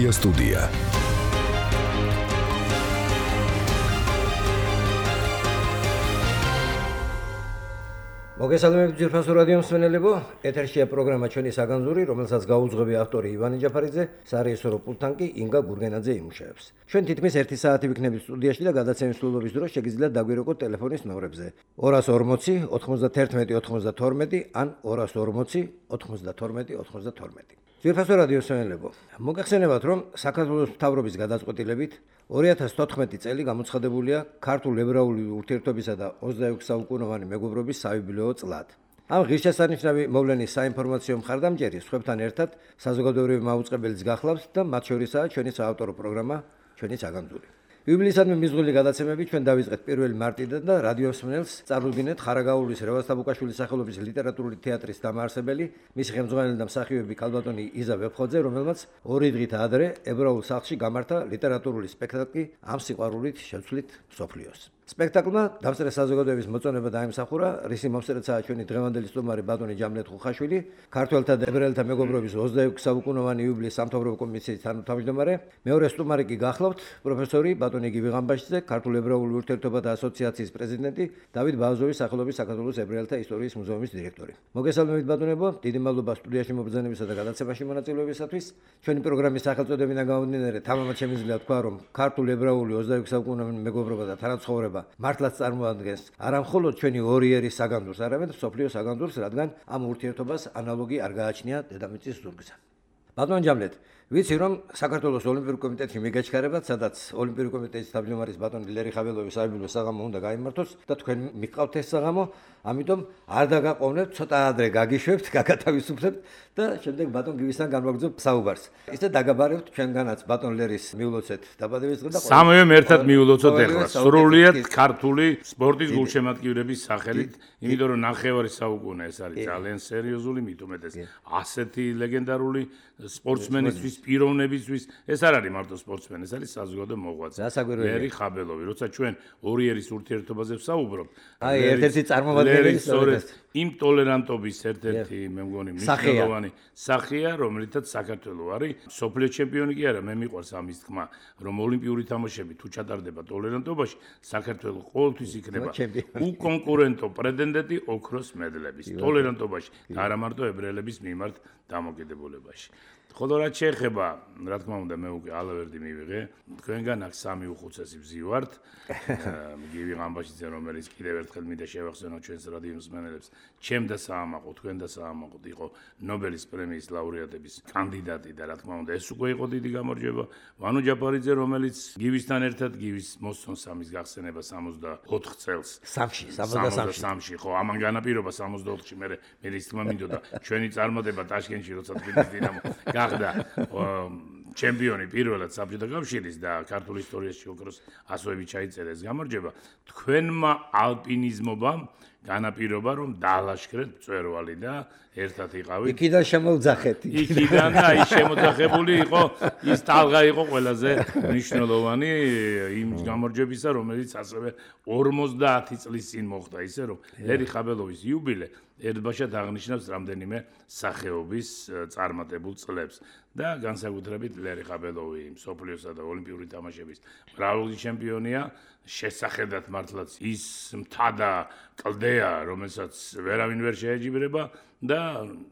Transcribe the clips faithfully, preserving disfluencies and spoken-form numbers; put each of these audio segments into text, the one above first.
Media Studia. მოგესალმებით ძირფასო რადიო მსმენელებო, ეთერშია პროგრამა ჩვენი საგანძური, რომელსაც გაუძღვები ავტორი ივანე ჯაფარიძე, სარეჟისორო პულტთან კი ინგა გურგენაძე იმუშავებს. ჩვენ თითქმის ერთი საათი ვიქნებით სტუდიაში და გადაცემის სრულობის დროს შეგიძლიათ დაგვირეკოთ ტელეფონის ნომრებზე ორას ორმოცი ოცდაერთმეტი ოცდათორმეტი ან ორას ორმოცი ოცდათორმეტი ოცდათორმეტი. ძირფასო რადიო მსმენელებო, მოგახსენებათ, რომ საქართველოს მთავრობის გადაწყვეტილებით ორი ათას თოთხმეტი წელი გამოცხადებულია ქართულ ებრაული ურთიერთობისა და ოცდაექვსი საუკუნოვანი მეგობრობის საიუბილეო წლად. ამ ღირსშესანიშნავი მოვლენის საინფორმაციო მხარდამჭერი სხვებთან ერთად საზოგადოებრივი მაუწყებელიც გახლავთ და მათ შორისაა ჩვენი საავტორო პროგრამა ჩვენი საგანძური. იუბილეისადმი მიზღული გადაცემები ჩვენ დავიწყეთ პირველი მარტიდან და რადიო მსმენელს წარუდგინეთ ხარაგაულის რევაზ თაბუკაშვილის სახელობის ლიტერატურული თეატრის დამაარსებელი, მისი ხელმძღვანელი და მსახიობი ქალბატონი იზა ვეფხოძე, რომელმაც ორი დღით ადრე ებრაულ სახლში გამართა ლიტერატურული სპექტაკლი ამ სიყვარულით შევცვლით მსოფლიოს. სპექტაკლმა დამსწრე საზოგადოების მოწონება დაიმსახურა, რისი მომსწრეცაა ჩვენი დღევანდელი სტუმარი ბატონი ჯამლეთ ხუხაშვილი, ქართველთა და ებრაელთა მეგობრობის ოცდაექვსი საუკუნოვანი იუბილეის სამთავრობო კომისიის თანამთავმჯდომარე, მეორე სტუმარი კი გახლავთ პროფესორი ბატონი გივი ღამბაშიძე, ქართულ ებრაული ურთიერთობათა ასოციაციის პრეზიდენტი, დავით ბააზოვის სახელობის საქართველოს ებრაელთა ისტორიის მუზეუმის დირექტორი. მოგესალმებით ბატონებო, დიდი მადლობა სტუდიაში მობრძანებისა და გადაცემაში მონაწილეობისათვის. ჩვენი პროგრამის სახელწოდებიდან გამომდინარე, თამამად შემიძლია თქვა, რომ ქართულ ებრაული ოცდაექვსი საუკუნოვანი მეგობრობა და თანაცხოვრება მართლაც წარმოადგენს არა მხოლოდ ჩვენი ორი ერის საგანძურს, არამედ მსოფლიოს საგანძურს, რადგან ამ ურთიერთობას ანალოგი არ გააჩნია დედამიწის ზურგზე. ბატონ ჯამლეთ, ვიცი რომ საქართველოს ოლიმპიური კომიტეტში მიგაჩქარებათ, სადაც ოლიმპიური კომიტეტის თავმჯდომარის ბატონი ლერი ხაბელოვის საიუბილეო საღამო უნდა გაიმართოს და თქვენ მიყავთ ეს საღამო, ამიტომ არ დაგაყოვნებთ, ცოტა ადრე გაგიშვებთ, გაგათავისუფლებთ და შემდეგ ბატონ გივისთან განვაგრძობთ საუბარს. ისე დაგაბარებთ ჩვენგანაც ბატონ ლერის მიულოცეთ დაბადების დღე და სამივემ ერთად მიულოცოთ ახლა. სრულიად ქართული სპორტის გულშემატკივრების სახელით, იმიტომ რომ ნახევარი საუკუნე ეს არის ძალიან სერიოზული, მით უმეტეს ასეთი ლეგენდარული სპორტსმენისთვის, პიროვნებისთვის, ეს არ არის მარტო სპორტსმენი, ეს არის საზოგადო მოღვაწე. ლერი ხაბელოვი, როცა ჩვენ ორი ერის ურთიერთობაზე ვსაუბრობთ, აი ერთ-ერთი წარმომადგენელი იმ ტოლერანტობის ერთ-ერთი მე მგონი მნიშვნელოვანი სახეა, რომელიცაც საქართველო არის სოფლიო ჩემპიონი კი არა, მე მიყვარს ამის თქმა, რომ ოლიმპიური თამაშები თუ ჩატარდება ტოლერანტობაში, საქართველო ყოველთვის იქნება უკონკურენტო პრეტენდენტი ოქროს მედლების ტოლერანტობაში და არა მარტო ებრაელების მიმართ დამოკიდებულებაში. ხოლო რაც შეეხება, რა თქმა უნდა, მე უკვე ალავერდი მივიღე. თქვენგან აქ სამი უხუცესი ვზივართ. გივი ღამბაშიძე, რომელიც კიდევ ერთხელ მინდა შევახსენო ჩვენს რადიო მსმენელებს, ჩემ და საამაყო, თქვენ და საამაყო იყო ნობელის პრემიის ლაურეატების კანდიდატი და რა თქმა უნდა, ეს უკვე იყო დიდი გამარჯვება. ვანო ჯაფარიძე, რომელიც გივისთან ერთად გივის მოსწონს ამის გახსენება სამოცდაოთხ წელს. სამში, სამოცდასამში, ხო, ამან განაპირობა სამოცდაოთხში მე მე ის თქმა მინდოდა ჩვენი წარმატება ტაშკენტში, როცა თბილისის დინამო გახდა ჩემპიონი პირველად საბჭოთა კავშირის და ქართულ ისტორიაში ოქროს ასოები ჩაიწერა ეს გამარჯვება. თქვენმა ალპინიზმობამ განაპირობა რომ დაალაშქრეთ მწვერვალი და ერთად იყავით. იქიდან შემოძახეთ. იქიდან და ის შემოძახებული იყო, ის ტალღა იყო ყველაზე მნიშვნელოვანი იმ გამარჯვებისა, რომელიც ასევე ორმოცდაათი წლის წინ მოხდა, ისე რომ ლერი ხაბელოვის იუბილე ერთბაშად აღნიშნავს რამდენიმე სახეობის წარმატებულ წლებს და განსაკუთრებით ლერი ხაბელოვი მსოფლიოსა და ოლიმპიური თამაშების მრავალი ჩემპიონია, შესახედად მართლაც ის მთა და კლდეა, რომელსაც ვერავინ ვერ შეეჯიბრება და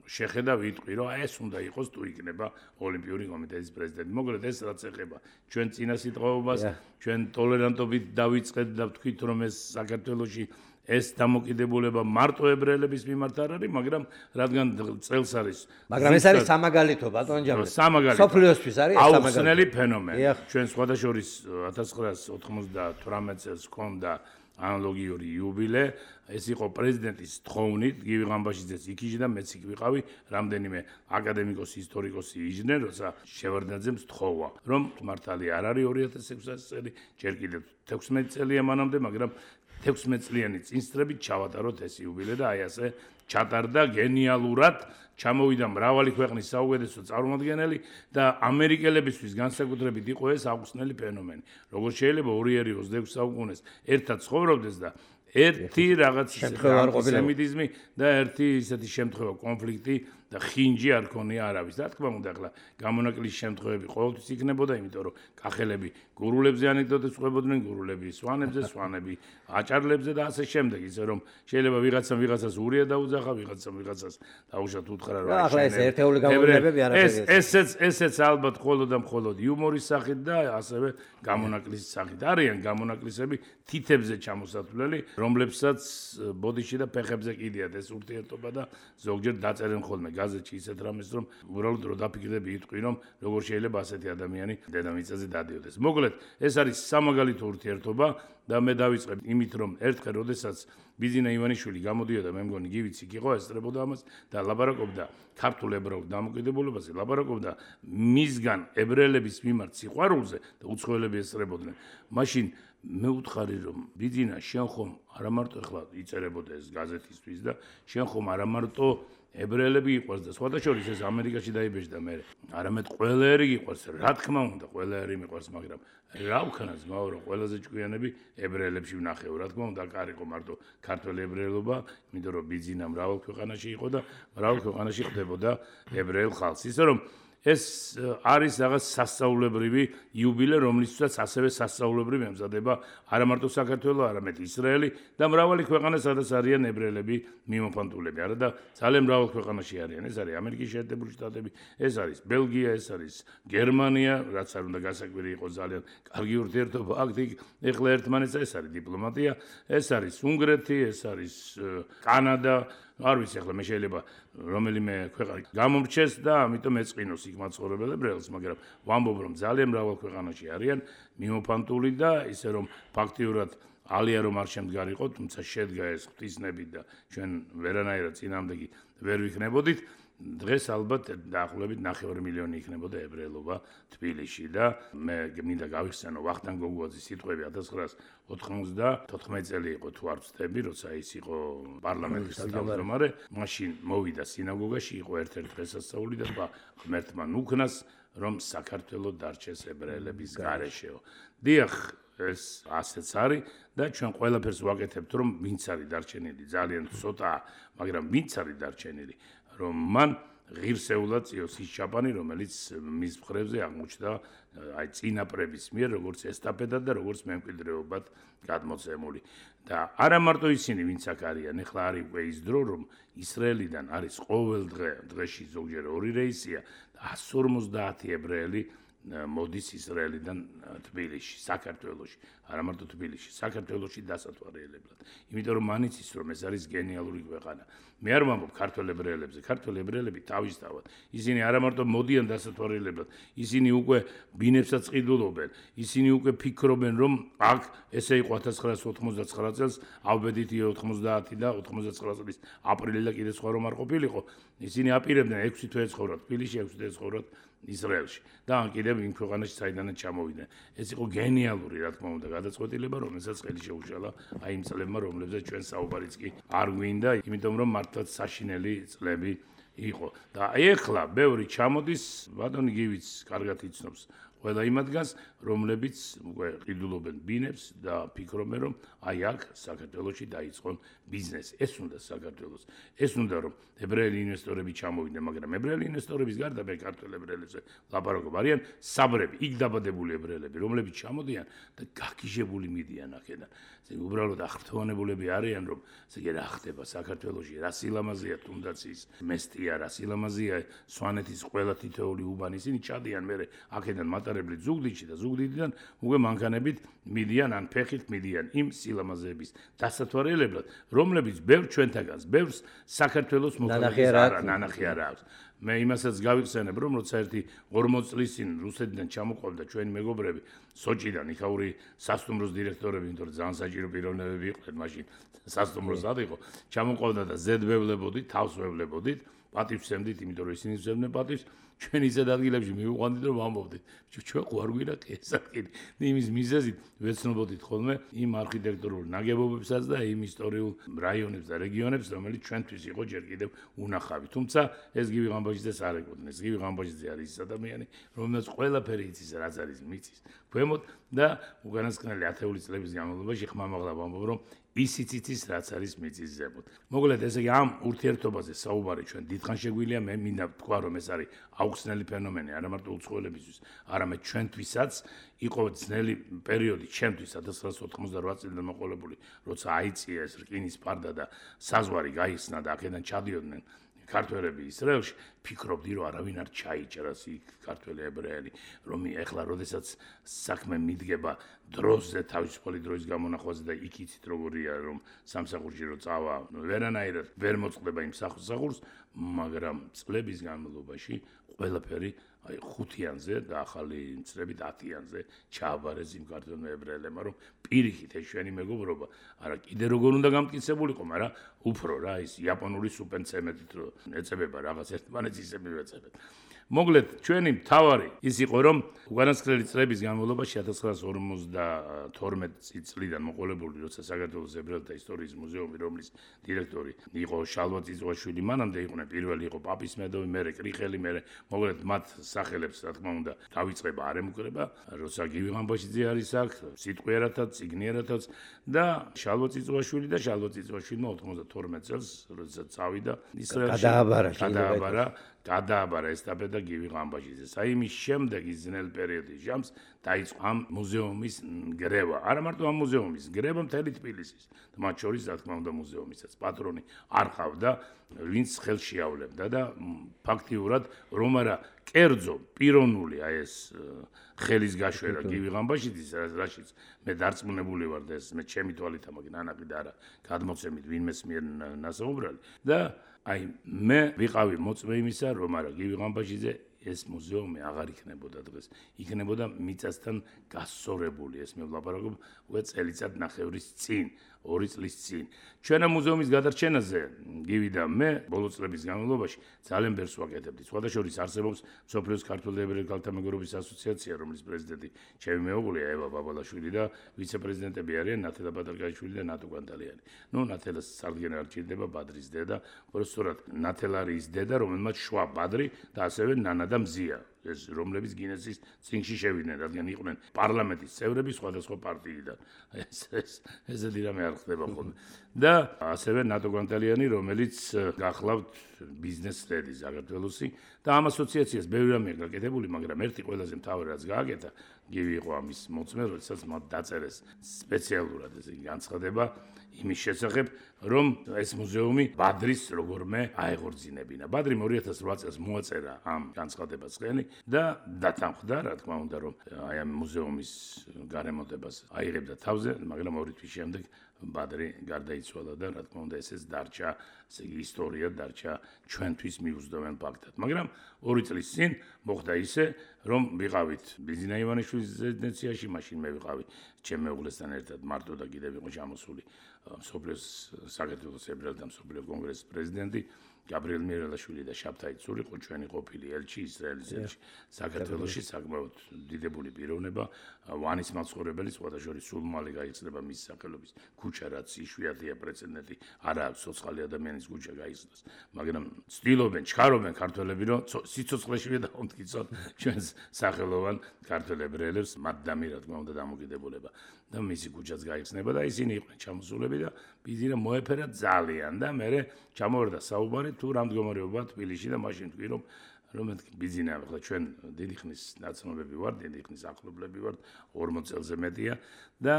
შეხედა ვიტყვი, რომ ეს უნდა იყოს თუ იქნება ოლიმპიური კომიტეტის პრეზიდენტი. მოკლედ ეს რაც ეხება ჩვენ წინა სიტყვაობას, ჩვენ ტოლერანტობით დავიწყეთ და ვთქვით, რომ ეს საქართველოში ეს დამოკიდებულება მარტო ებრაელების მიმართ არ არის, მაგრამ რადგან წელს არის. მაგრამ ეს არის სამაგალითო, ბატონ ჯამლე. სამაგალითო. სოფლიოსთვის არის სამაგალითო. აუხსნელი ფენომენი. ჩვენ სხვადასხვის ათას ცხრაას ოთხმოცდათვრამეტ წელს ჰქონდა ანალოგიური იუბილე, ეს იყო პრეზიდენტის თხოვნით, გივი ღამბაშიძეც იქიჟე და მეც იქ ვიყავი, რამდენიმე აკადემიკოსი, ისტორიკოსი იჯდნენ, როცა შევარდნაძემ სთხოვა, რომ მართალი არ არის ორი ათას ექვსი წელი, ჯერ კიდევ თექვსმეტი წელია მანამდე, მაგრამ თექვსმეტ წლიანი წინსწრებით ჩავატაროთ ეს იუბილე და აი ასე ჩატარდა გენიალურად, ჩამოვიდა მრავალი ქვეყნის საუკეთესო წარმომადგენელი და ამერიკელებისთვის განსაკუთრებით იყო ეს აუხსნელი ფენომენი. Როგორ შეიძლება ორი ერი ოცდაექვსი საუკუნეს ერთად ცხოვრობდეს და ერთი რაღაც ანტისემიტიზმი და ერთი ისეთი შემთხვევა კონფლიქტი და ხინჯი არ ქონია არავის. რა თქმა უნდა, ახლა გამონაკლისის შემთხვევები ყოველთვის იქნებოდა, იმიტომ რომ კახელები გურულებზე ანეკდოტებს ყვებოდნენ, გურულები სვანებზე, სვანები აჭარლებზე და ასე შემდეგ, ისე რომ შეიძლება ვიღაცამ ვიღაცას ურია დაუძახა, ვიღაცამ ვიღაცას დაუშვათ უთხრა რომ ახლა ეს ერთეული გამონაკლისები არაფერი. ესეც ესეც ალბათ მხოლოდ და მხოლოდ იუმორის სახით და ასევე გამონაკლისის სახით. არიან გამონაკლისები თითებზე ჩამოსათვლელი, რომლებსაც ბოდიში და ფეხებზე კიდიათ ეს ურთიერთობა და ზოგჯერ დაწერენ ხოლმე გაზეთში ისეთ რამეს, რომ უბრალოდ რო დაფიქრდები იტყვი, რომ როგორ შეიძლება ასეთი ადამიანი დედამიწაზე დადიოდეს. მოკლედ, ეს არის სამაგალითო ურთიერთობა და მე დავიწყებ იმით, რომ ერთხელ, როდესაც ბიძინა ივანიშვილი გამოდიოდა, მე მგონი გივიც იქ იყო, ესწრებოდა ამას და ლაბარაკობდა ქართულ ებრაულ დამოუკიდებლობაზე, ლაბარაკობდა მისგან ებრაელების მიმართ სიყვარულზე და უცხოელები ესწრებოდნენ. მაშინ მე ვუთხარი, რომ ბიძინა შენ ხომ არა მარტო ახლა იწერებოდა ეს გაზეთისთვის და შენ ხომ არა მარტო ებრაელები იყვარს და სხვათა შორის ეს ამერიკაში დაიბეჭდა მე. არამედ ყველა ერი იყვარს, რა თქმა უნდა, ყველა ერი მიყვარს, მაგრამ რა ვქნა ძმაო, რომ ყველაზე ჭკვიანები ებრაელებში ვნახეო, რა თქმა უნდა, არ იყო მარტო ქართველი ებრაელობა, იმიტომ რომ ბიძინა მრავალ ქვეყანაში იყო და მრავალ ქვეყანაში ხდებოდა ებრაელ ხალხს. ისე რომ ეს არის რაღაც სასწაულებრივი იუბილე, რომლისთვისაც ასევე სასწაულებრივი ემზადება არა მარტო საქართველო, არამედ ისრაელი და მრავალი ქვეყანა, სადაც არიან ებრაელები მიმოფანტულები. არა და ძალიან მრავალ ქვეყანაში არიან. ეს არის ამერიკის შეერთებული შტატები, ეს არის ბელგია, ეს არის გერმანია, რაც არ უნდა გასაკვირი იყოს, ძალიან კარგი ურთიერთობა აქ იქ. ეხლა ერთმანეთსა ეს არის დიპლომატია, ეს არის უნგრეთი, ეს არის კანადა. არ ვიცი ახლა მე შეიძლება რომელიმე ქვეყანა გამომრჩეს და ამიტომ ეწყინოს იქ მაცხოვრებელ ებრაელს, მაგრამ ვამბობ რომ ძალიან მრავალ ქვეყანაში არიან მიმოფანტული და ისე რომ ფაქტიურად ალია რომ არ შემდგარიყო, თუმცა შედგა ეს ღვთისნებით და ჩვენ ვერანაირად წინამდეგი ვერ ვიქნებოდით. დღეს ალბათ დაახლოებით ნახევარი მილიონი იქნებოდა ებრაელობა თბილისში და მე მინდა გავიხსენო ვახტანგ გოგუაძის სიტყვები ათას ცხრაას ოთხმოცდათოთხმეტი წელი იყო თუ არ ვცდები, როცა ის იყო პარლამენტის თავმჯდომარე, მაშინ მოვიდა სინაგოგაში, იყო ერთ-ერთი დღესასწაული და თქვა ღმერთმა ნუქნას, რომ საქართველო დარჩეს ებრაელების გარეშეო. დიახ, ეს ასეც არის და ჩვენ ყველაფერს ვაკეთებთ, რომ ვინც არის დარჩენილი, ძალიან ცოტაა, მაგრამ ვინც არის დარჩენილი, რომ მან ღირსეულად წიოს ის ჩაპანი, რომელიც მის მხრებზე აღმოჩნდა აი წინაპრების მიერ, როგორც ესტაფეტად და როგორც მემკვიდრეობად გადმოცემული. და არა მარტო ისინი, ვინც აქ არიან, ეხლა არის უკვე ის დრო, რომ ისრაელიდან არის ყოველ დღე, დღეში ზოგჯერ ორი რეისია და εκατს ორმოცდაათი ებრაელი მოდის ისრაელიდან თბილისში, საქართველოში, არა მარტო თბილისში, საქართველოში დასათვალიერებლად. იმიტომ რომ მან იცის, რომ ეს არის გენიალური ქვეყანა. მე არ ვამბობ ქართველ ებრაელებზე, ქართველ ებრაელები თავისთავად. ისინი არა მარტო მოდიან დასათვალიერებლად, ისინი უკვე ბინებსაც ყიდულობენ, ისინი უკვე ფიქრობენ, რომ აქ ესე იყო ათას ცხრაას ოთხმოცდაცხრა წელს, ავბედითი ოთხმოცდაათი და ოთხმოცდაცხრა წლის აპრილი და კიდე სხვა რომ არ ყოფილიყო, ისინი აპირებდნენ ექვსი თვე ეცხოვრათ თბილისში, ექვსი თვე ეცხოვრათ ისრაელში და ან კიდევ იმ ქვეყანაში საიდანაც ჩამოვიდნენ. ეს იყო გენიალური, რა თქმა უნდა, გადაწყვეტილება, რომელსაც ხელი შეუშალა აი იმ წლებმა, რომლებზეც ჩვენ საუბარიც კი არ გვინდა, იმიტომ რომ მართლაც საშინელი წლები იყო. და ეხლა ბევრი ჩამოდის, ბატონი გივიც კარგად იცნობს ყველა იმადგას, რომლებიც უკვე ყიდულობენ ბინებს და ფიქრობენ, რომ აი აქ საქართველოში დაიწყონ ბიზნესი. ეს უნდა საქართველოს. ეს უნდა რომ ებრაელი ინვესტორები ჩამოვიდნენ, მაგრამ ებრაელი ინვესტორების გარდა მე ქართველ ებრაელებზე ლაპარაკობ, არიან საბრები, იქ დაბადებული ებრაელები, რომლებიც ჩამოდიან და გაგიჟებული მიდიან აქედან. ესე უბრალოდ აღფრთოვანებულები არიან, რომ ესე იგი რა ხდება საქართველოში, რა სილამაზეა თუნდაც ის მესტია, რა სილამაზეა სვანეთის ყველა თითოეული უბანი, ისინი ჩადიან მე აქედან მატარებლით ზუგდიდში და ზუგდიდიდან უკვე მანქანებით მიდიან ან ფეხით მიდიან იმ სილამაზეების დასათვალიერებლად, რომლებიც ბევრ ჩვენთაგანს, ბევრს საქართველოს მოხალხეს არა ნანახი არ აქვს. მე იმასაც გავიხსენებ, რომ როცა ერთი ორმოცი წლის წინ რუსეთიდან ჩამოყვანდა ჩვენი მეგობრები სოჭიდან, იქაური სასტუმროს დირექტორები, იმიტომ რომ ძალიან საჭირო პიროვნებები იყვნენ მაშინ, სასტუმროს ad იყო, ჩამოყვანდა და ზედ ვევლებოდით, თავს ვევლებოდით, პატივს ვცემდით, იმიტომ რომ ისინი ვცემდნენ პატივს, ჩვენ ისეთ ადგილებში მივიყვანდით, რომ ვამბობდით, ჩვენ ხო არ გვინდა ეს ადგილი. იმის მიზეზით ვეცნობოდით ხოლმე იმ არქიტექტურულ ნაგებობებსაც და იმ ისტორიულ რაიონებს და რეგიონებს, რომელიც ჩვენთვის იყო ჯერ კიდევ უნახავი. თუმცა ეს გივი ღამბოშიძეს არ ეკუთვნის. გივი ღამბოშიძე არის ის ადამიანი, რომელსაც ყველაფერი იცის, რაც არის მიწის ქვემოთ და უკანასკნელი ათეული წლების განმავლობაში ხმამაღლა ვამბობ, რომ ისიც იცის, რაც არის მიწის ზემოთ. მოკლედ, ესე იგი ამ ურთიერთობაზე საუბარი ჩვენ დიდხანს შეგვიძლია, მე მინდა ვთქვა, რომ ეს არის აუხსნელი ფენომენი, არა მარტო უცხოელებისთვის, არამედ ჩვენთვისაც იყო ძნელი პერიოდი ჩემთვის ათას ცხრაასი ოთხმოცდარვაათი წლიდან მოყოლებული, როცა აიწია ეს რკინის ფარდა და საზღვარი გაიხსნა და აქედან ჩადიოდნენ ქართველები ისრაელში, ფიქრობდი, რომ არავინ არ ჩაიჭრას იქ ქართველი ებრაელი, რომ ეხლა როდესაც საქმე მიდგება დროზე, თავისუფალი დროის გამონახვაზე და იქ იცით როგორია, რომ სამსახურში რო წავა, ვერანაირად ვერ მოწყდება იმ სამსახურს, მაგრამ წლების განმავლობაში ყველაფერი აი ხუთიანზე და ახალი წლებით ათიანზე ჩააბარეს იმ ქართველ ებრაელებმა, რომ პირიქით ეს ჩვენი მეგობრობა არა კიდე როგორ უნდა გამტკიცებულიყო, მაგრამ უფრო რა ის იაპონური სუპენცემენტით რო ეწებება რაღაც ერთმანეთს ისე მივეწებეთ. მოკლედ, ჩვენი მთავარი ის იყო, რომ უკანასკნელი წლების განმავლობაში ათას ცხრაასი ორმოცდათორმეტი წლიდან მოყოლებული, როცა საქართველოს ებრაელთა ისტორიის მუზეუმი, რომლის დირექტორი იყო შალვა წიწვაშვილი, მანამდე იყვნენ პირველი იყო პაპის მედოვი, მერე კრიხელი, მერე მოკლედ მათ სახელებს, რა თქმა უნდა, დავიწყება არ ემუქრება, როცა გივი ღამბოშიძე არის აქ, სიტყვიერათაც, ციგნიერათაც და შალვა წიწვაშვილი და შალვა წიწვაშვილმა ოთხმოცდათორმეტ წელს, როდესაც წავიდა ისრაელში, გადააბარა, გადააბარა გადააბარა ესტაფეტა გივი ღამბოშიძეს. აი იმის შემდეგ ის ძნელ პერიოდის ჟამს დაიწყო ამ მუზეუმის გრევა. არა მარტო ამ მუზეუმის, გრევა მთელი თბილისის. მათ შორის, რა თქმა უნდა, მუზეუმისაც პატრონი არ ყავდა, ვინც ხელში ავლებდა და ფაქტიურად რომ არა კერძო, პიროვნული აი ეს ხელის გაშვერა გივი ღამბოშიძის, რაშიც მე დარწმუნებული ვარ და ეს მე ჩემი თვალით ამაგ ნანაკი და არა გადმოცემით ვინმეს მიერ ნასაუბრალი და აი მე ვიყავი მოწმე იმისა, რომ არა გივი ღამბოშიძე ეს მუზეუმი აღარ იქნებოდა დღეს. იქნებოდა მიწასთან გასწორებული, ეს მე ვლაპარაკობ უკვე წელიწად ნახევრის წინ, ორი წლის წინ. ჩვენ ამ მუზეუმის გადარჩენაზე გივი და მე ბოლო წლების განმავლობაში ძალიან ბევრს ვაკეთებდი. სხვადასხვა არსებობს მსოფლიოს ქართველ ებრაელ ქალთა მეგობრობის ასოციაცია, რომლის პრეზიდენტი ჩემი მეუღლეა ევა ბაბალაშვილი და ვიცე-პრეზიდენტები არიან ნათელა ბადარგაიშვილი და ნატო განტალიანი. ნუ ნათელას სარგენ არ ჭირდება ბადრის დედა, უბრალოდ ნათელა არის დედა, რომელმაც შვა ბადრი და ასევე ნანა და მზია. ეს რომლებიც გინესის წინში შევიდნენ, რადგან იყვნენ პარლამენტის წევრები სხვადასხვა პარტიიდან. ეს ეს ესეთი რამე არ ხდება ხოლმე. და ასევე ნატო განტალიანი, რომელიც გახლავთ ბიზნეს ლედი საქართველოსი და ამ ასოციაციას ბევრი რამეა გაკეთებული, მაგრამ ერთი ყველაზე მთავარი რაც გააკეთა, გივი იყო ამის მოწმე, როდესაც მათ დაწერეს სპეციალურად ესე განცხადება იმის შესახებ, რომ ეს მუზეუმი ბადრის როგორმე აეღორძინებინა. ბადრიმ ორი ათას ოთხ წელს მოაწერა ამ განცხადებას ხელი და დათანხმდა, რა თქმა უნდა, რომ აი ამ მუზეუმის გარემონტებას აიღებდა თავზე, მაგრამ ორი თვის შემდეგ ბადრი გარდაიცვალა და რა თქმა უნდა ესეც დარჩა, ესე იგი ისტორია დარჩა ჩვენთვის მიუძღვენ ფაქტად. მაგრამ ორი წლის წინ მოხდა ისე, რომ ვიყავით ბიზინა ივანიშვილის რეზიდენციაში, მაშინ მე ვიყავი ჩემ მეუღლესთან ერთად მარტო და კიდევ იყო ჩამოსული მსოფლიოს საქართველოს ებრაელთა მსოფლიო კონგრესის პრეზიდენტი გაბრიელ მიერელაშვილი და შაბთაი ცურიყო ჩვენი ყოფილი ელჩი ისრაელის ელჩი საქართველოში საკმაოდ დიდებული პიროვნება ვანის მაცხოვრებელი სხვადასხვა სულ მალე გაიხსნება მის სახელობის ქუჩა რაც იშვიათია პრეცედენტი არა აქვს ცოცხალი ადამიანის ქუჩა გაიხსნას მაგრამ ცდილობენ ჩქარობენ ქართველები რომ სიცოცხლეშივე დაუმტკიცონ ჩვენს სახელოვან ქართველ ებრაელებს მათ დამი რა თქმა უნდა დამოკიდებულება და მისი ქუჩაც გაიხსნება და ისინი იყვნენ ჩამოსულები და ბიზინა მოეფერა ძალიან და მე ჩამოვარდა საუბარი თუ რა მდგომარეობა თბილისში და მაშინ თქვი რომ რომ ბიზინა ახლა ჩვენ დიდი ხნის ნაცნობები ვართ, დიდი ხნის ახლობლები ვართ, ორმოც წელზე მეტია და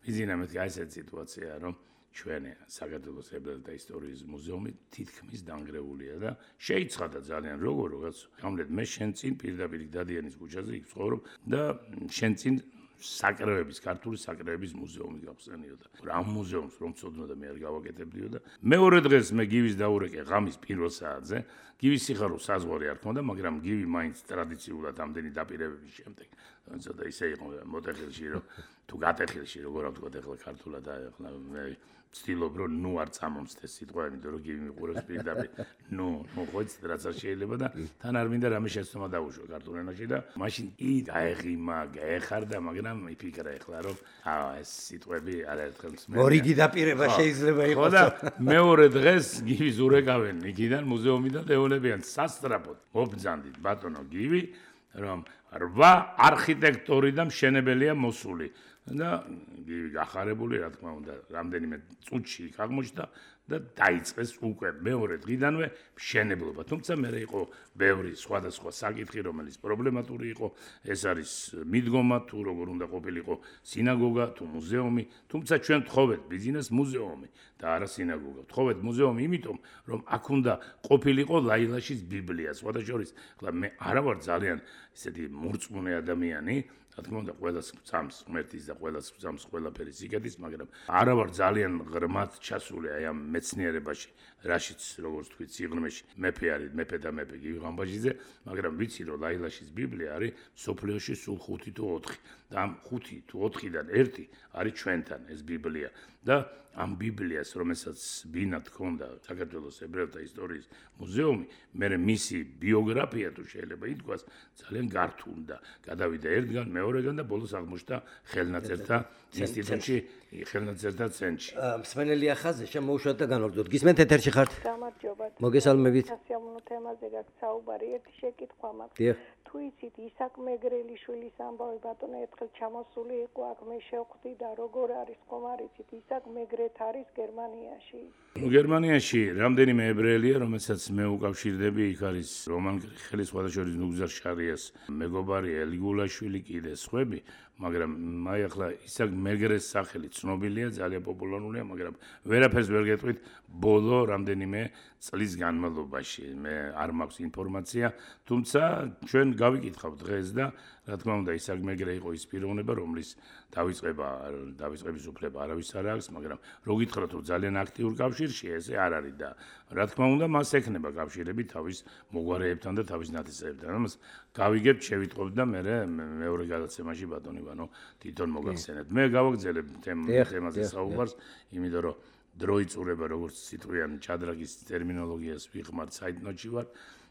ბიზინა მეთქი აი ესეთი სიტუაცია რომ ჩვენი საქართველოს ებრაელთა ისტორიის მუზეუმი თითქმის დანგრეულია და შეიცხადა ძალიან როგორ რაღაც გამლეთ მე შენ წინ პირდაპირ დადიანის ქუჩაზე იქ ცხოვრობ და შენ წინ საკრევების, ქართული საკრევების მუზეუმი გავხსენიოდა. რა მუზეუმს რომ წოდნოდა მე არ გავაკეთებდიო და მეორე დღეს მე გივის დაურეკე ღამის პირველ საათზე. გივის სიხარულს საზღვარი არ ქონდა, მაგრამ გივი მაინც ტრადიციულად ამდენი დაპირებების შემდეგ ცოტა ისე იყო მოტეხილში რომ თუ გატეხილში როგორ ვთქვა ახლა ქართულად და ახლა მე ვცდილობ რომ ნუ არ წამომცდეს სიტყვა იმიტომ რომ გივი მიყურებს პირდაპირ ნუ ნუ ხოც რაც არ შეიძლება და თან არ მინდა რამე შეცდომა დაუშვა ქართულ ენაში და მაშინ კი გაეღიმა გაეხარდა მაგრამ მიფიქრა ახლა რომ აა ეს სიტყვები არაერთხელ მსმენია მორიგი დაპირება შეიძლება იყოს ხო და მეორე დღეს გივის ურეკავენ იქიდან მუზეუმიდან ეუნებიან სასწრაფოდ მობძანდით ბატონო გივი რომ რვა არქიტექტორი და მშენებელია მოსული და გივი გახარებული რა თქმა უნდა რამდენიმე წუთში იქ აღმოჩნდა და დაიწყეს უკვე მეორე დღიდანვე მშენებლობა თუმცა მე იყო ბევრი სხვადასხვა საკითხი რომელიც პრობლემატური იყო ეს არის მიდგომა თუ როგორ უნდა ყოფილიყო სინაგოგა თუ მუზეუმი თუმცა ჩვენ ვთხოვეთ ბიზნეს მუზეუმი და არა სინაგოგა ვთხოვეთ მუზეუმი იმიტომ რომ აქ უნდა ყოფილიყო ლაილაშის ბიბლია სხვადასხვა ახლა მე არა ვარ ძალიან ისეთი მურწმუნე ადამიანი რა თქმა უნდა ყველას გწამს ღმერთის და ყველას გწამს ყველაფერი სიკეთის მაგრამ არა ვარ ძალიან ღრმად ჩასული აი ამ მეცნიერებაში რაშიც როგორც თქვი სიღრმეში მეფე არის მეფე და მეფე გივი ღამბაჟიძე მაგრამ ვიცი რომ ლაილაშის ბიბლია არის სოფლიოში სულ ხუთი თუ ოთხი და ამ ხუთი თუ ოთხიდან ერთი არის ჩვენთან ეს ბიბლია და ამ ბიბლიას რომელსაც ბინა თქონდა საქართველოს ებრაელთა ისტორიის მუზეუმი მე მისი ბიოგრაფია თუ შეიძლება ითქვას ძალიან გართულდა გადავიდა ერთგან მეორეგან და ბოლოს აღმოჩნდა ხელნაწერთა ინსტიტუტში ხელნაწერთა ცენტრში მსმენელი ახაზე შემოუშვათ და განვაგრძოთ გისმენთ ეთერში ხართ გამარჯობა მოგესალმებით სასიამოვნო თემაზე გაქვს საუბარი ერთი შეკითხვა მაქვს დიახ თუ იცით ისაკ მეგრელიშვილის ამბავი ბატონო ერთხელ ჩამოსული იყო აქ მე შევხვდი და როგორ არის ხომ არ იცით ისაკ მეგრეთ არის გერმანიაში ნუ გერმანიაში რამდენიმე ებრაელია რომელსაც მე უკავშირდები იქ არის რომან ხელის სხვადასხვა ნუგზარ შარიას მეგობარი ელიგულაშვილი კიდე სხვები მაგრამ აი ახლა ისაკ მეგრეს სახელი ცნობილია ძალიან პოპულარულია მაგრამ ვერაფერს ვერ გეტყვით ბოლო რამდენიმე წლის განმავლობაში მე არ მაქვს ინფორმაცია თუმცა ჩვენ გავიკითხავ დღეს და რა თქმა უნდა ისაკ მეგრე იყო ის პიროვნება რომლის დავიწყება დავიწყების უფლება არავის არ აქვს მაგრამ რო გითხრათ რომ ძალიან აქტიურ კავშირში ესე არ არის და რა თქმა უნდა მას ექნება კავშირები თავის მოგვარეებთან და თავის ნათესავებთან ამას გავიგებთ შევიტყობთ და მე მეორე გადაცემაში ბატონი ვანო თვითონ მოგახსენეთ მე გავაგზელებ თემაზე საუბარს იმიტომ რომ დრო იწურება როგორც სიტყვიან ჩადრაგის ტერმინოლოგიას ვიხმართ საიტნოტში ვარ